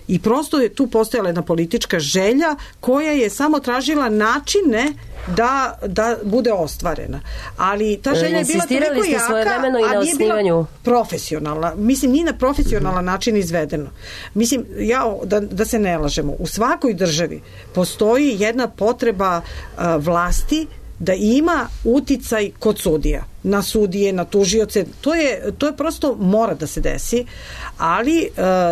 I prosto je tu postojala jedna politička želja koja je samo tražila načine da, da bude ostvarena. Ali ta želja je bila toliko jaka, a nije bila profesionalna. Mislim, nije na profesionalan način izvedeno. Mislim, ja, da, da se ne lažemo, u svakoj državi postoji jedna potreba uh, vlasti da ima uticaj kod sudija, na sudije, na tužioce, to je, to je prosto mora da se desi, ali e,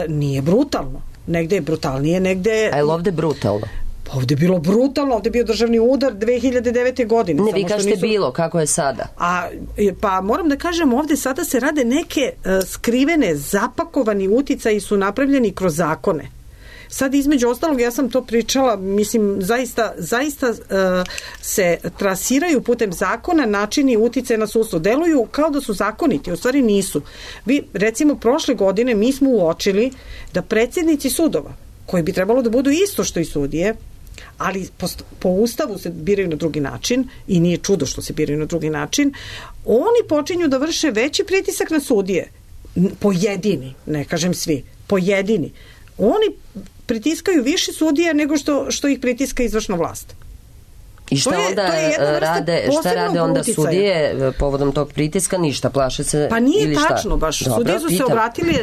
nije brutalno. Negde je brutalnije, negde... A je li ovde brutalno? Ovde je bilo brutalno, ovde je bio državni udar dve hiljade devete. godine. Ne, vi kažete nisu... bilo, kako je sada? A, pa moram da kažem, ovde sada se rade neke uh, skrivene, zapakovani uticaji su napravljeni kroz zakone. Sad između ostalog, ja sam to pričala, mislim, zaista, zaista uh, se trasiraju putem zakona načini uticaja na sudstvo. Deluju kao da su zakoniti, u stvari nisu. Vi, recimo, prošle godine mi smo uočili da predsjednici sudova, koji bi trebalo da budu isto što i sudije, ali po, po ustavu se biraju na drugi način i nije čudo što se biraju na drugi način, oni počinju da vrše veći pritisak na sudije. Pojedini, ne kažem svi, pojedini. Oni pritiskaju više sudija nego što, što ih pritiska izvršna vlast. I šta je, onda rade, šta rade onda uticaja. Sudije povodom tog pritiska? Ništa, plaše se pa nije ili šta? Tačno baš. Dobro, sudije su pitam. se obratili,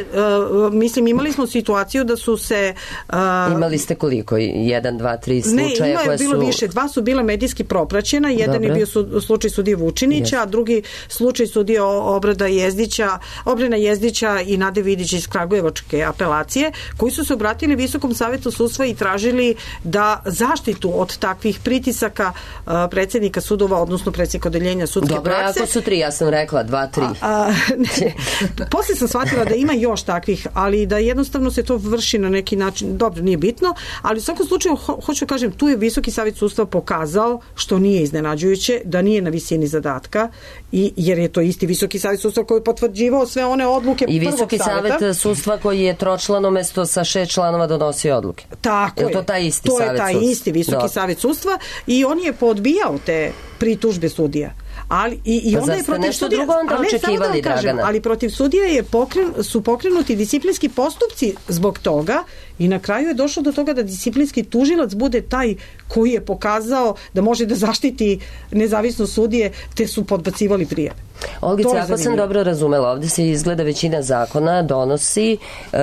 uh, mislim imali smo situaciju da su se... Uh, imali ste koliko? Jedan, dva, tri slučaja? Ne, ima je bilo su... više. Dva su bila medijski propraćena. Jedan Dobre. je bio su, slučaj sudije Vučinića, yes. a drugi slučaj sudije Obrada Jezdića, Obrena Jezdića i Nade Vidić iz Kragujevačke apelacije, koji su se obratili Visokom savetu sudstva i tražili da zaštitu od takvih pritisaka predsjednika sudova, odnosno predsjednika odeljenja sudske Dobro, prakse. Dobro, ako su tri, ja sam rekla dva, tri. A, a, ne, posle sam shvatila da ima još takvih, ali da jednostavno se to vrši na neki način, dobro, nije bitno, ali u svakom slučaju, ho, hoću kažem, tu je Visoki savet sudstva pokazao, što nije iznenađujuće, da nije na visini zadatka, i, jer je to isti Visoki savet sudstva koji je potvrđivao sve one odluke I prvog Visoki saveta. savet sudstva koji je tročlano mesto sa šest članova donosio odluke. Tako je. Je to taj isti to savet je taj sudstva? isti Visoki Do. savet sudstva i on je podbijao te pritužbe sudija. Ali i, i pa onda je protiv nešto sudija, drugo onda ali, očekivali, da kažem, ali protiv sudija je pokren, su pokrenuti disciplinski postupci zbog toga i na kraju je došlo do toga da disciplinski tužilac bude taj koji je pokazao da može da zaštiti nezavisnost sudije, te su podbacivali prijave. Olgice, ako sam dobro razumela, ovde se izgleda većina zakona donosi uh,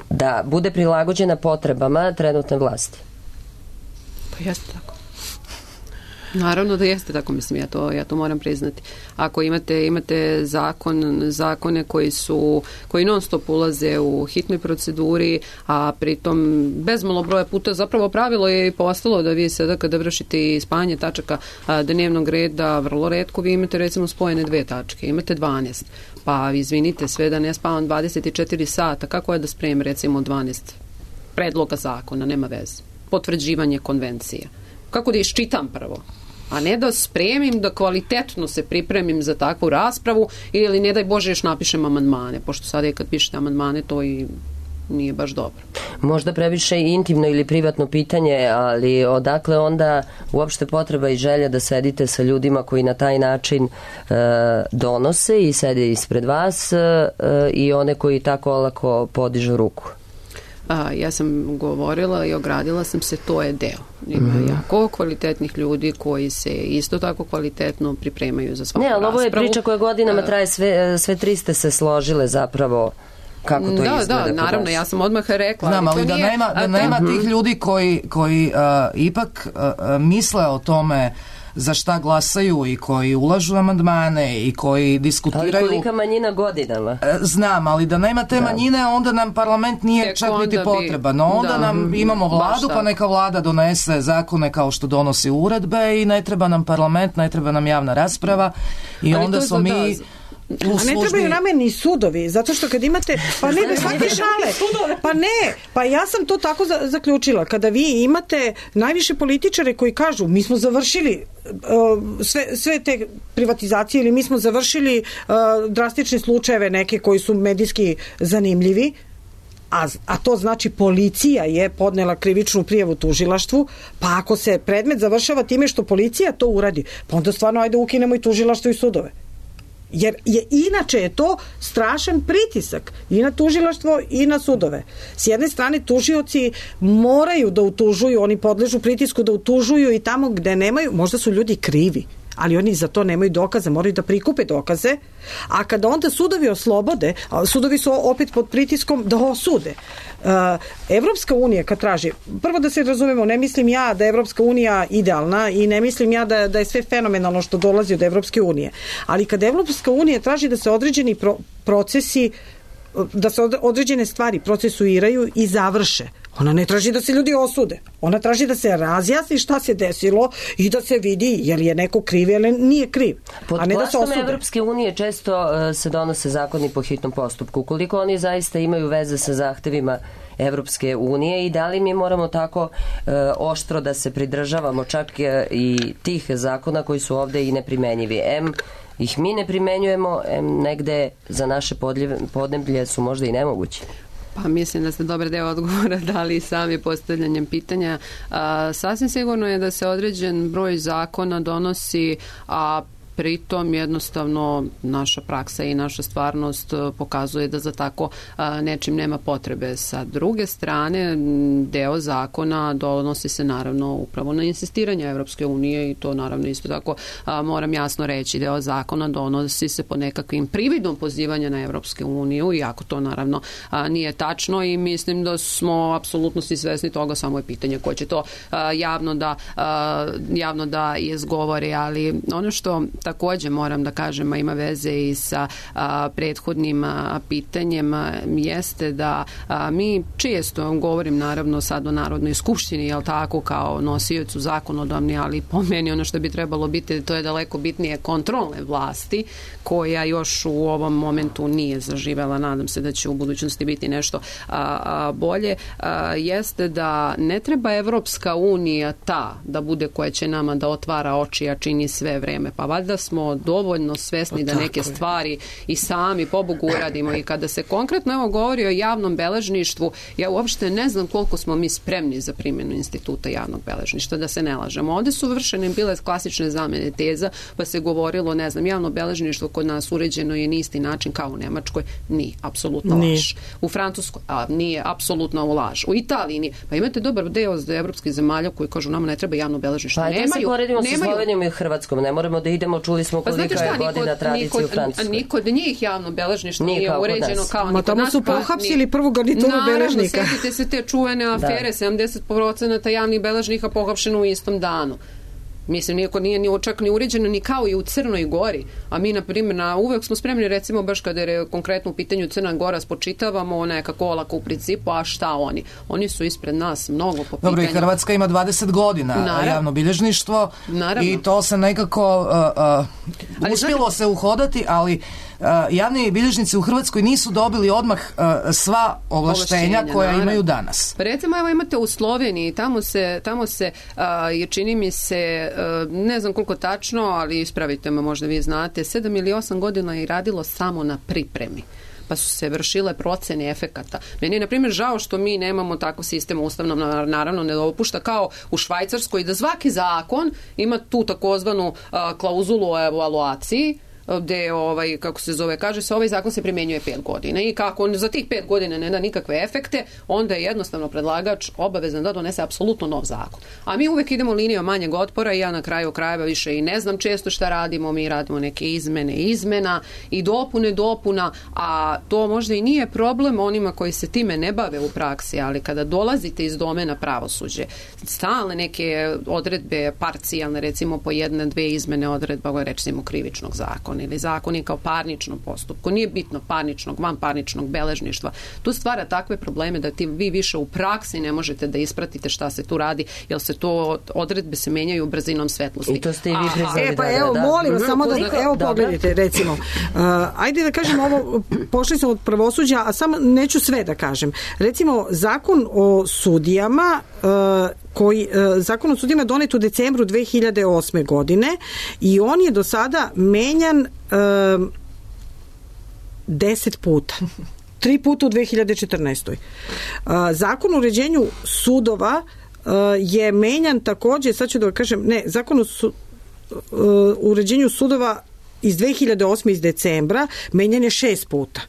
da bude prilagođena potrebama trenutne vlasti. Pa jeste tako. Naravno da jeste tako, mislim, ja to, ja to moram priznati. Ako imate, imate zakon, zakone koji su, koji non stop ulaze u hitnoj proceduri, a pritom bezmalo broja puta, zapravo pravilo je i postalo da vi sada kada vršite spajanje tačaka dnevnog reda, vrlo retko vi imate recimo spojene dve tačke, imate dvanaest. Pa izvinite, sve da ne spavam dvadeset četiri sata, kako je da spremim recimo dvanaest predloga zakona, nema veze. Potvrđivanje konvencija. Kako da iščitam prvo, a ne da spremim, da kvalitetno se pripremim za takvu raspravu ili ne daj Bože još napišem amandmane, pošto sad je kad pišete amandmane to i nije baš dobro. Možda previše intimno ili privatno pitanje, ali odakle onda uopšte potreba i želja da sedite sa ljudima koji na taj način e, donose i sede ispred vas e, i one koji tako olako podižu ruku? A, ja sam govorila i ogradila sam se, to je deo. Ima mm-hmm. jako kvalitetnih ljudi koji se isto tako kvalitetno pripremaju za svaku raspravu. Ne, ali ovo je priča koja godinama traje, sve, sve tri ste se složile zapravo kako to da, izgleda. Da, naravno, ja sam odmah rekla. Znam, ali da nije, nema, da nema uh-huh. tih ljudi koji, koji uh, ipak uh, misle o tome za šta glasaju i koji ulažu amandmane i koji diskutiraju. Ali kolika manjina godinama? Znam, ali da nema te da. manjine, onda nam parlament nije Tek čak niti potreban. No onda da, nam imamo vladu, pa neka vlada donese zakone kao što donosi uredbe i ne treba nam parlament, ne treba nam javna rasprava i ali onda smo mi... Da, a ne trebaju nama ni sudovi, zato što kad imate, pa ne, svake šale, pa ne, pa ja sam to tako za, zaključila, kada vi imate najviše političare koji kažu, mi smo završili uh, sve, sve te privatizacije ili mi smo završili uh, drastične slučajeve neke koji su medijski zanimljivi, A, a to znači policija je podnela krivičnu prijavu tužilaštvu, pa ako se predmet završava time što policija to uradi, pa onda stvarno ajde ukinemo i tužilaštvo i sudove. Jer je inače je to strašan pritisak i na tužilaštvo i na sudove. S jedne strane tužioci moraju da utužuju, oni podležu pritisku da utužuju i tamo gde nemaju, možda su ljudi krivi, ali oni za to nemaju dokaze, moraju da prikupe dokaze, a kada onda sudovi oslobode, sudovi su opet pod pritiskom da osude. Evropska unija kad traži, prvo da se razumemo, ne mislim ja da je Evropska unija idealna i ne mislim ja da, da je sve fenomenalno što dolazi od Evropske unije, ali kada Evropska unija traži da se određeni pro, procesi da se određene stvari procesuiraju i završe. Ona ne traži da se ljudi osude. Ona traži da se razjasni šta se desilo i da se vidi je li je neko kriv ili nije kriv. Pod a ne da se osude. Evropske unije često uh, se donose zakoni po hitnom postupku. Koliko oni zaista imaju veze sa zahtevima Evropske unije i da li mi moramo tako uh, oštro da se pridržavamo čak uh, i tih zakona koji su ovde i neprimenjivi. Em ih mi ne primenjujemo, em negde za naše podneblje su možda i nemogući. Pa mislim da ste dobar deo odgovora dali sami postavljanjem pitanja. A, sasvim sigurno je da se određen broj zakona donosi, a pritom jednostavno naša praksa i naša stvarnost pokazuje da za tako a, nečim nema potrebe. Sa druge strane, deo zakona donosi se naravno upravo na insistiranje Evropske unije i to naravno isto tako a, moram jasno reći, deo zakona donosi se po nekakvim prividom pozivanja na Evropske uniju, iako to naravno a, nije tačno i mislim da smo apsolutno svi svesni toga, samo je pitanje ko će to a, javno da a, javno da izgovori, ali ono što takođe moram da kažem, a ima veze i sa a, prethodnim a, pitanjem, a, jeste da a, mi često govorim naravno sad o Narodnoj skupštini, jel tako, kao nosiocu zakonodavni, ali po meni ono što bi trebalo biti, to je daleko bitnije kontrolne vlasti, koja još u ovom momentu nije zaživela, nadam se da će u budućnosti biti nešto a, a, bolje, a, jeste da ne treba Evropska unija ta da bude koja će nama da otvara oči, a čini sve vreme, pa valjda smo dovoljno svesni da neke stvari i sami pobogu uradimo i kada se konkretno evo govori o javnom beležništvu, ja uopšte ne znam koliko smo mi spremni za primjenu instituta javnog beležništva, da se ne lažemo. Ovde su vršene bile klasične zamene teza, pa se govorilo, ne znam, javno beležništvo kod nas uređeno je na isti način kao u Nemačkoj, nije, apsolutno laž. U Francuskoj, a nije, apsolutno laž. U Italiji nije. Pa imate dobar deo za evropskih zemalja koji kažu nama ne treba javno beležništvo. Pa nemaju, da se poredimo nemaju... sa Slovenijom i Hrvatskom, ne moramo da idemo, čuli smo pa kolika je godina tradicije u Francuskoj. Ni kod njih javno beležništvo nije, nije uređeno kao ni kod nas. Tamo su pohapsili prvu garnituru beležnika. Naravno, setite se te čuvene afere, da. sedamdeset posto javnih beležnika pohapšeno u istom danu. Mislim, nijako nije ni čak ni uređeno ni kao i u Crnoj Gori, a mi, na primjer, na, uvek smo spremni, recimo, baš kada je konkretno u pitanju Crna Gora, spočitavamo nekako olako u principu, a šta oni? Oni su ispred nas mnogo po pitanju. Dobro, i Hrvatska ima dvadeset godina Naravno. javno bilježništvo Naravno. i to se nekako uh, uh, uspjelo znate... se uhodati, ali Uh, javni bilježnici u Hrvatskoj nisu dobili odmah uh, sva ovlaštenja koja naravno. imaju danas. Pa recimo, evo imate u Sloveniji, tamo se, tamo se uh, je čini mi se, uh, ne znam koliko tačno, ali ispravite me, možda vi znate, sedam ili osam godina je radilo samo na pripremi, pa su se vršile procene efekata. Meni je, na primjer, žao što mi nemamo tako sistem ustavno, naravno ne dopušta kao u Švajcarskoj, da svaki zakon ima tu takozvanu uh, klauzulu o evaluaciji, gde, ovaj, kako se zove, kaže se, ovaj zakon se primjenjuje pet godina i kako on za tih pet godina ne da nikakve efekte, onda je jednostavno predlagač obavezan da donese apsolutno nov zakon. A mi uvek idemo linijom manjeg otpora i ja na kraju krajeva više i ne znam često šta radimo, mi radimo neke izmene izmena i dopune dopuna, a to možda i nije problem onima koji se time ne bave u praksi, ali kada dolazite iz domena pravosuđe, stalne neke odredbe parcijalne, recimo po jedne, dve izmene odredba, recimo krivičnog zakona ili zakonika o parničnom postupku, nije bitno parničnog, vanparničnog beležništva. Tu stvara takve probleme da ti vi više u praksi ne možete da ispratite šta se tu radi, jer se to odredbe se menjaju brzinom svetlosti. I to ste i vi priznali. E pa evo, molim vas, samo da, evo pogledajte, recimo. Uh, ajde da kažem ovo, pošli smo od pravosuđa, a samo neću sve da kažem. Recimo, zakon o sudijama, uh, koji, uh, zakon o sudijama donet u decembru dve hiljade osme godine i on je do sada menjan uh, deset puta. Tri puta u dve hiljade četrnaestoj. Uh, zakon o uređenju sudova uh, je menjan takođe, sad ću da kažem, ne, zakon o su, uh, uređenju sudova iz dve hiljade osme iz decembra menjan je šest puta.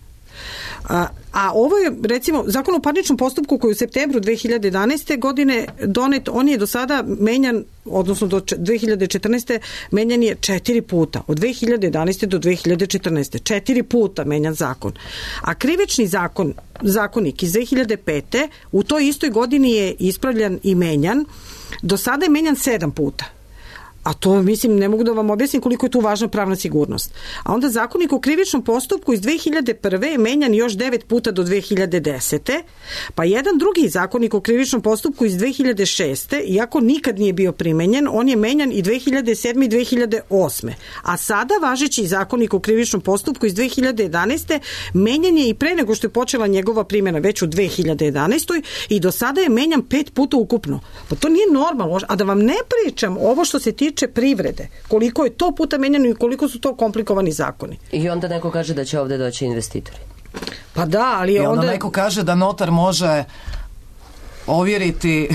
A, a ovo je, recimo, zakon o parničnom postupku koji u septembru dve hiljade jedanaeste godine donet, on je do sada menjan, odnosno do dve hiljade četrnaeste menjan je četiri puta. Od dve hiljade jedanaeste do dve hiljade četrnaeste. Četiri puta menjan zakon. A krivični zakon, zakonik iz dve hiljade pete u toj istoj godini je ispravljan i menjan. Do sada je menjan sedam puta. A to, mislim, ne mogu da vam objasnim koliko je tu važna pravna sigurnost. A onda zakonik o krivičnom postupku iz dve hiljade prve je menjan još devet puta do dve hiljade desete. Pa jedan drugi zakonik o krivičnom postupku iz dve hiljade šeste, iako nikad nije bio primenjen, on je menjan i dve hiljade sedme i dve hiljade osme. A sada važeći zakonik o krivičnom postupku iz dve hiljade jedanaeste menjan je i pre nego što je počela njegova primjena, već u dve hiljade jedanaestoj i do sada je menjan pet puta ukupno. Pa to nije normalno. A da vam ne pričam ovo što se tiče privrede, koliko je to puta menjano i koliko su to komplikovani zakoni. I onda neko kaže da će ovde doći investitori. Pa da, ali I onda... onda... neko kaže da notar može ovjeriti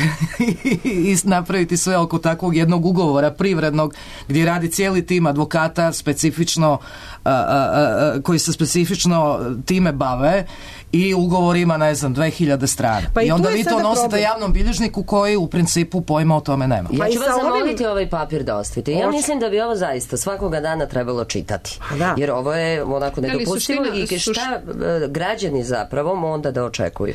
i napraviti sve oko takvog jednog ugovora privrednog gdje radi cijeli tim advokata specifično a, a, a, koji se specifično time bave i ugovor ima, ne znam, dve hiljade strana. Pa i, I onda vi to nosite problem. Javnom bilježniku koji u principu pojma o tome nema. Ja ću vas zamoliti ovim... ovaj papir da ostavite. Ja Oč... mislim da bi ovo zaista svakoga dana trebalo čitati. Da. Jer ovo je onako nedopustivo i šta suš... građani zapravo onda da očekuju.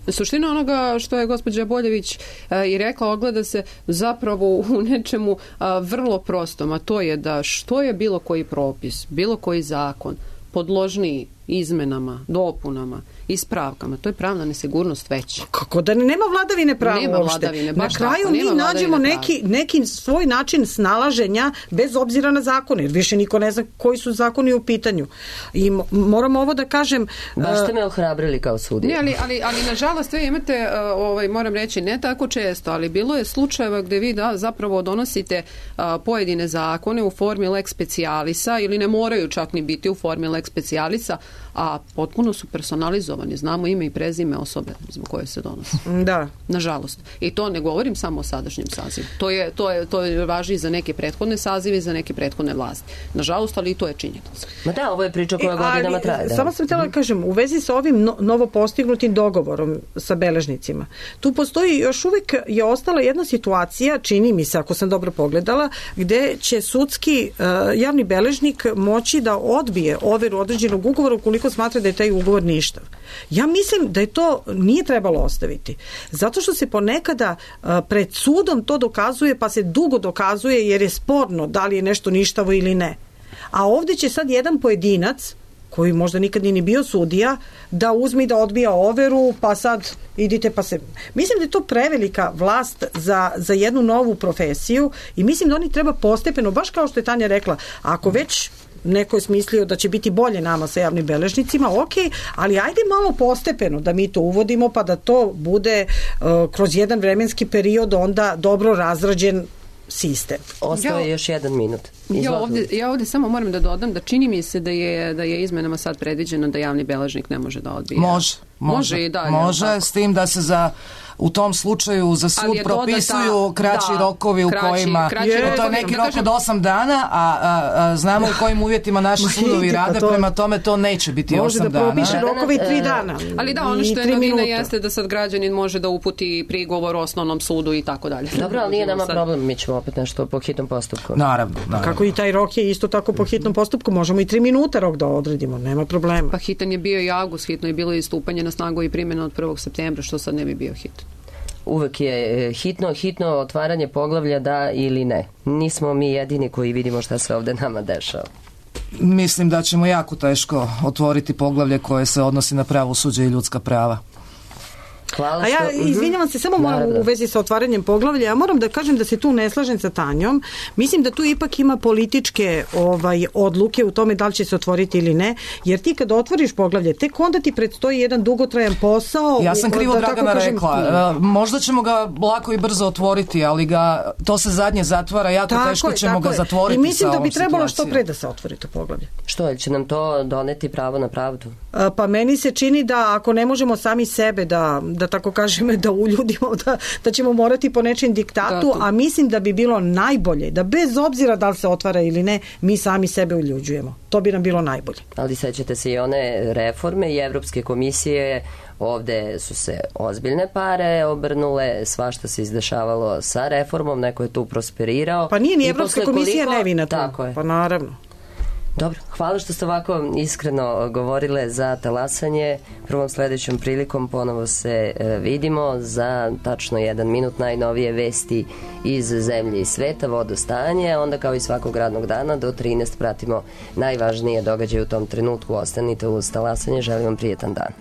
Suština onoga što je gospođa Boljević a, i rekla ogleda se zapravo u nečemu a, vrlo prostom, a to je da što je bilo koji propis, bilo koji zakon podložniji izmenama, dopunama, ispravkama, to je pravna nesigurnost veća. Kako da ne, nema vladavine prava nema uopšte. Vladavine, na kraju tako, mi nađemo neki, neki svoj način snalaženja bez obzira na zakone, jer više niko ne zna koji su zakoni u pitanju. I moram ovo da kažem... Baš ste me ohrabrili kao sudija. Ne, ali, ali, ali nažalost vi imate, ovaj, moram reći, ne tako često, ali bilo je slučajeva gde vi da, zapravo donosite a, pojedine zakone u formi lex specialisa ili ne moraju čak ni biti u formi lex specialisa, a potpuno su personalizovani. Znamo ime i prezime osobe zbog koje se donose. Da. Nažalost. I to ne govorim samo o sadašnjem sazivu. To je, to je, to je važi za neke prethodne sazive i za neke prethodne vlasti. Nažalost, ali i to je činjenica. Ma da, ovo je priča koja e, godinama traje. Samo sam htjela da kažem, u vezi sa ovim no, novo postignutim dogovorom sa beležnicima, tu postoji još uvijek je ostala jedna situacija, čini mi se, ako sam dobro pogledala, gde će sudski uh, javni beležnik moći da odbije overu određenog ugovora ukoliko smatra da je taj ugovor ništav. Ja mislim da je to nije trebalo ostaviti. Zato što se ponekada uh, pred sudom to dokazuje, pa se dugo dokazuje jer je sporno da li je nešto ništavo ili ne. A ovdje će sad jedan pojedinac koji možda nikad nije ni bio sudija, da uzme i da odbija overu, pa sad idite pa se... Mislim da je to prevelika vlast za, za jednu novu profesiju i mislim da oni treba postepeno, baš kao što je Tanja rekla, ako već neko je smislio da će biti bolje nama sa javnim beležnicima, ok, ali ajde malo postepeno da mi to uvodimo pa da to bude uh, kroz jedan vremenski period onda dobro razrađen sistem. Ostao je još jedan minut. Ja ovdje, ja ovdje samo moram da dodam da čini mi se da je, da je izmenama sad predviđeno da javni beležnik ne može da odbije. Može. Može, može i dalje. Može, s tim da se za u tom slučaju za sud propisuju kraći da, rokovi u kraći, kojima kraći je, rokovi, to je neki rok od osam dana, a, a, a znamo u kojim uvjetima naši sudovi rade, to, prema tome to neće biti osam dana. Može da propiše rokovi tri dana. Ali da, ono što je novina jeste da sad građanin može da uputi prigovor osnovnom sudu i tako dalje. Dobro, ali nije nama problem, mi ćemo opet nešto po hitnom postupku. Naravno, naravno. Kako i taj rok je isto tako po hitnom postupku, možemo i tri minuta rok da odredimo, nema problema. Pa hitan je bio i avgust, hitno je bilo i stupanje na snagu i primjena od prvog septembra, što sad ne bi bio hitan. Uvek je hitno, hitno otvaranje poglavlja da ili ne. Nismo mi jedini koji vidimo šta se ovde nama dešava. Mislim da ćemo jako teško otvoriti poglavlje koje se odnosi na pravosuđe i ljudska prava. Hvala A ja, što... izvinjavam se, samo moram u vezi sa otvaranjem poglavlja, ja moram da kažem da se tu ne slažem sa Tanjom. Mislim da tu ipak ima političke ovaj, odluke u tome da li će se otvoriti ili ne, jer ti kad otvoriš poglavlje, tek onda ti predstoji jedan dugotrajan posao. Ja sam krivo da, Dragana kažem, rekla. Uh, možda ćemo ga lako i brzo otvoriti, ali ga, to se zadnje zatvara, jako tako teško je, ćemo ga je. zatvoriti. I mislim da bi trebalo situacijom. što pre da se otvori to poglavlje. Što, će nam to doneti pravo na pravdu? Uh, pa meni se čini da ako ne možemo sami sebe da, da da tako kažem, da uljudimo, da, da ćemo morati po nečem diktatu, Da, a mislim da bi bilo najbolje, da bez obzira da li se otvara ili ne, mi sami sebe uljuđujemo. To bi nam bilo najbolje. Ali sećate se i one reforme i Evropske komisije, ovde su se ozbiljne pare obrnule, svašta se izdešavalo sa reformom, neko je tu prosperirao. Pa nije ni I Evropska posle komisija koliko- nevina tu. Tako je. Pa naravno. Dobro, hvala što ste ovako iskreno govorile za talasanje. Prvom sledećom prilikom ponovo se e, vidimo za tačno jedan minut najnovije vesti iz zemlje i sveta, vodostanje, onda kao i svakog radnog dana do trinaest pratimo najvažnije događaje u tom trenutku. Ostanite uz talasanje, želim vam prijetan dan.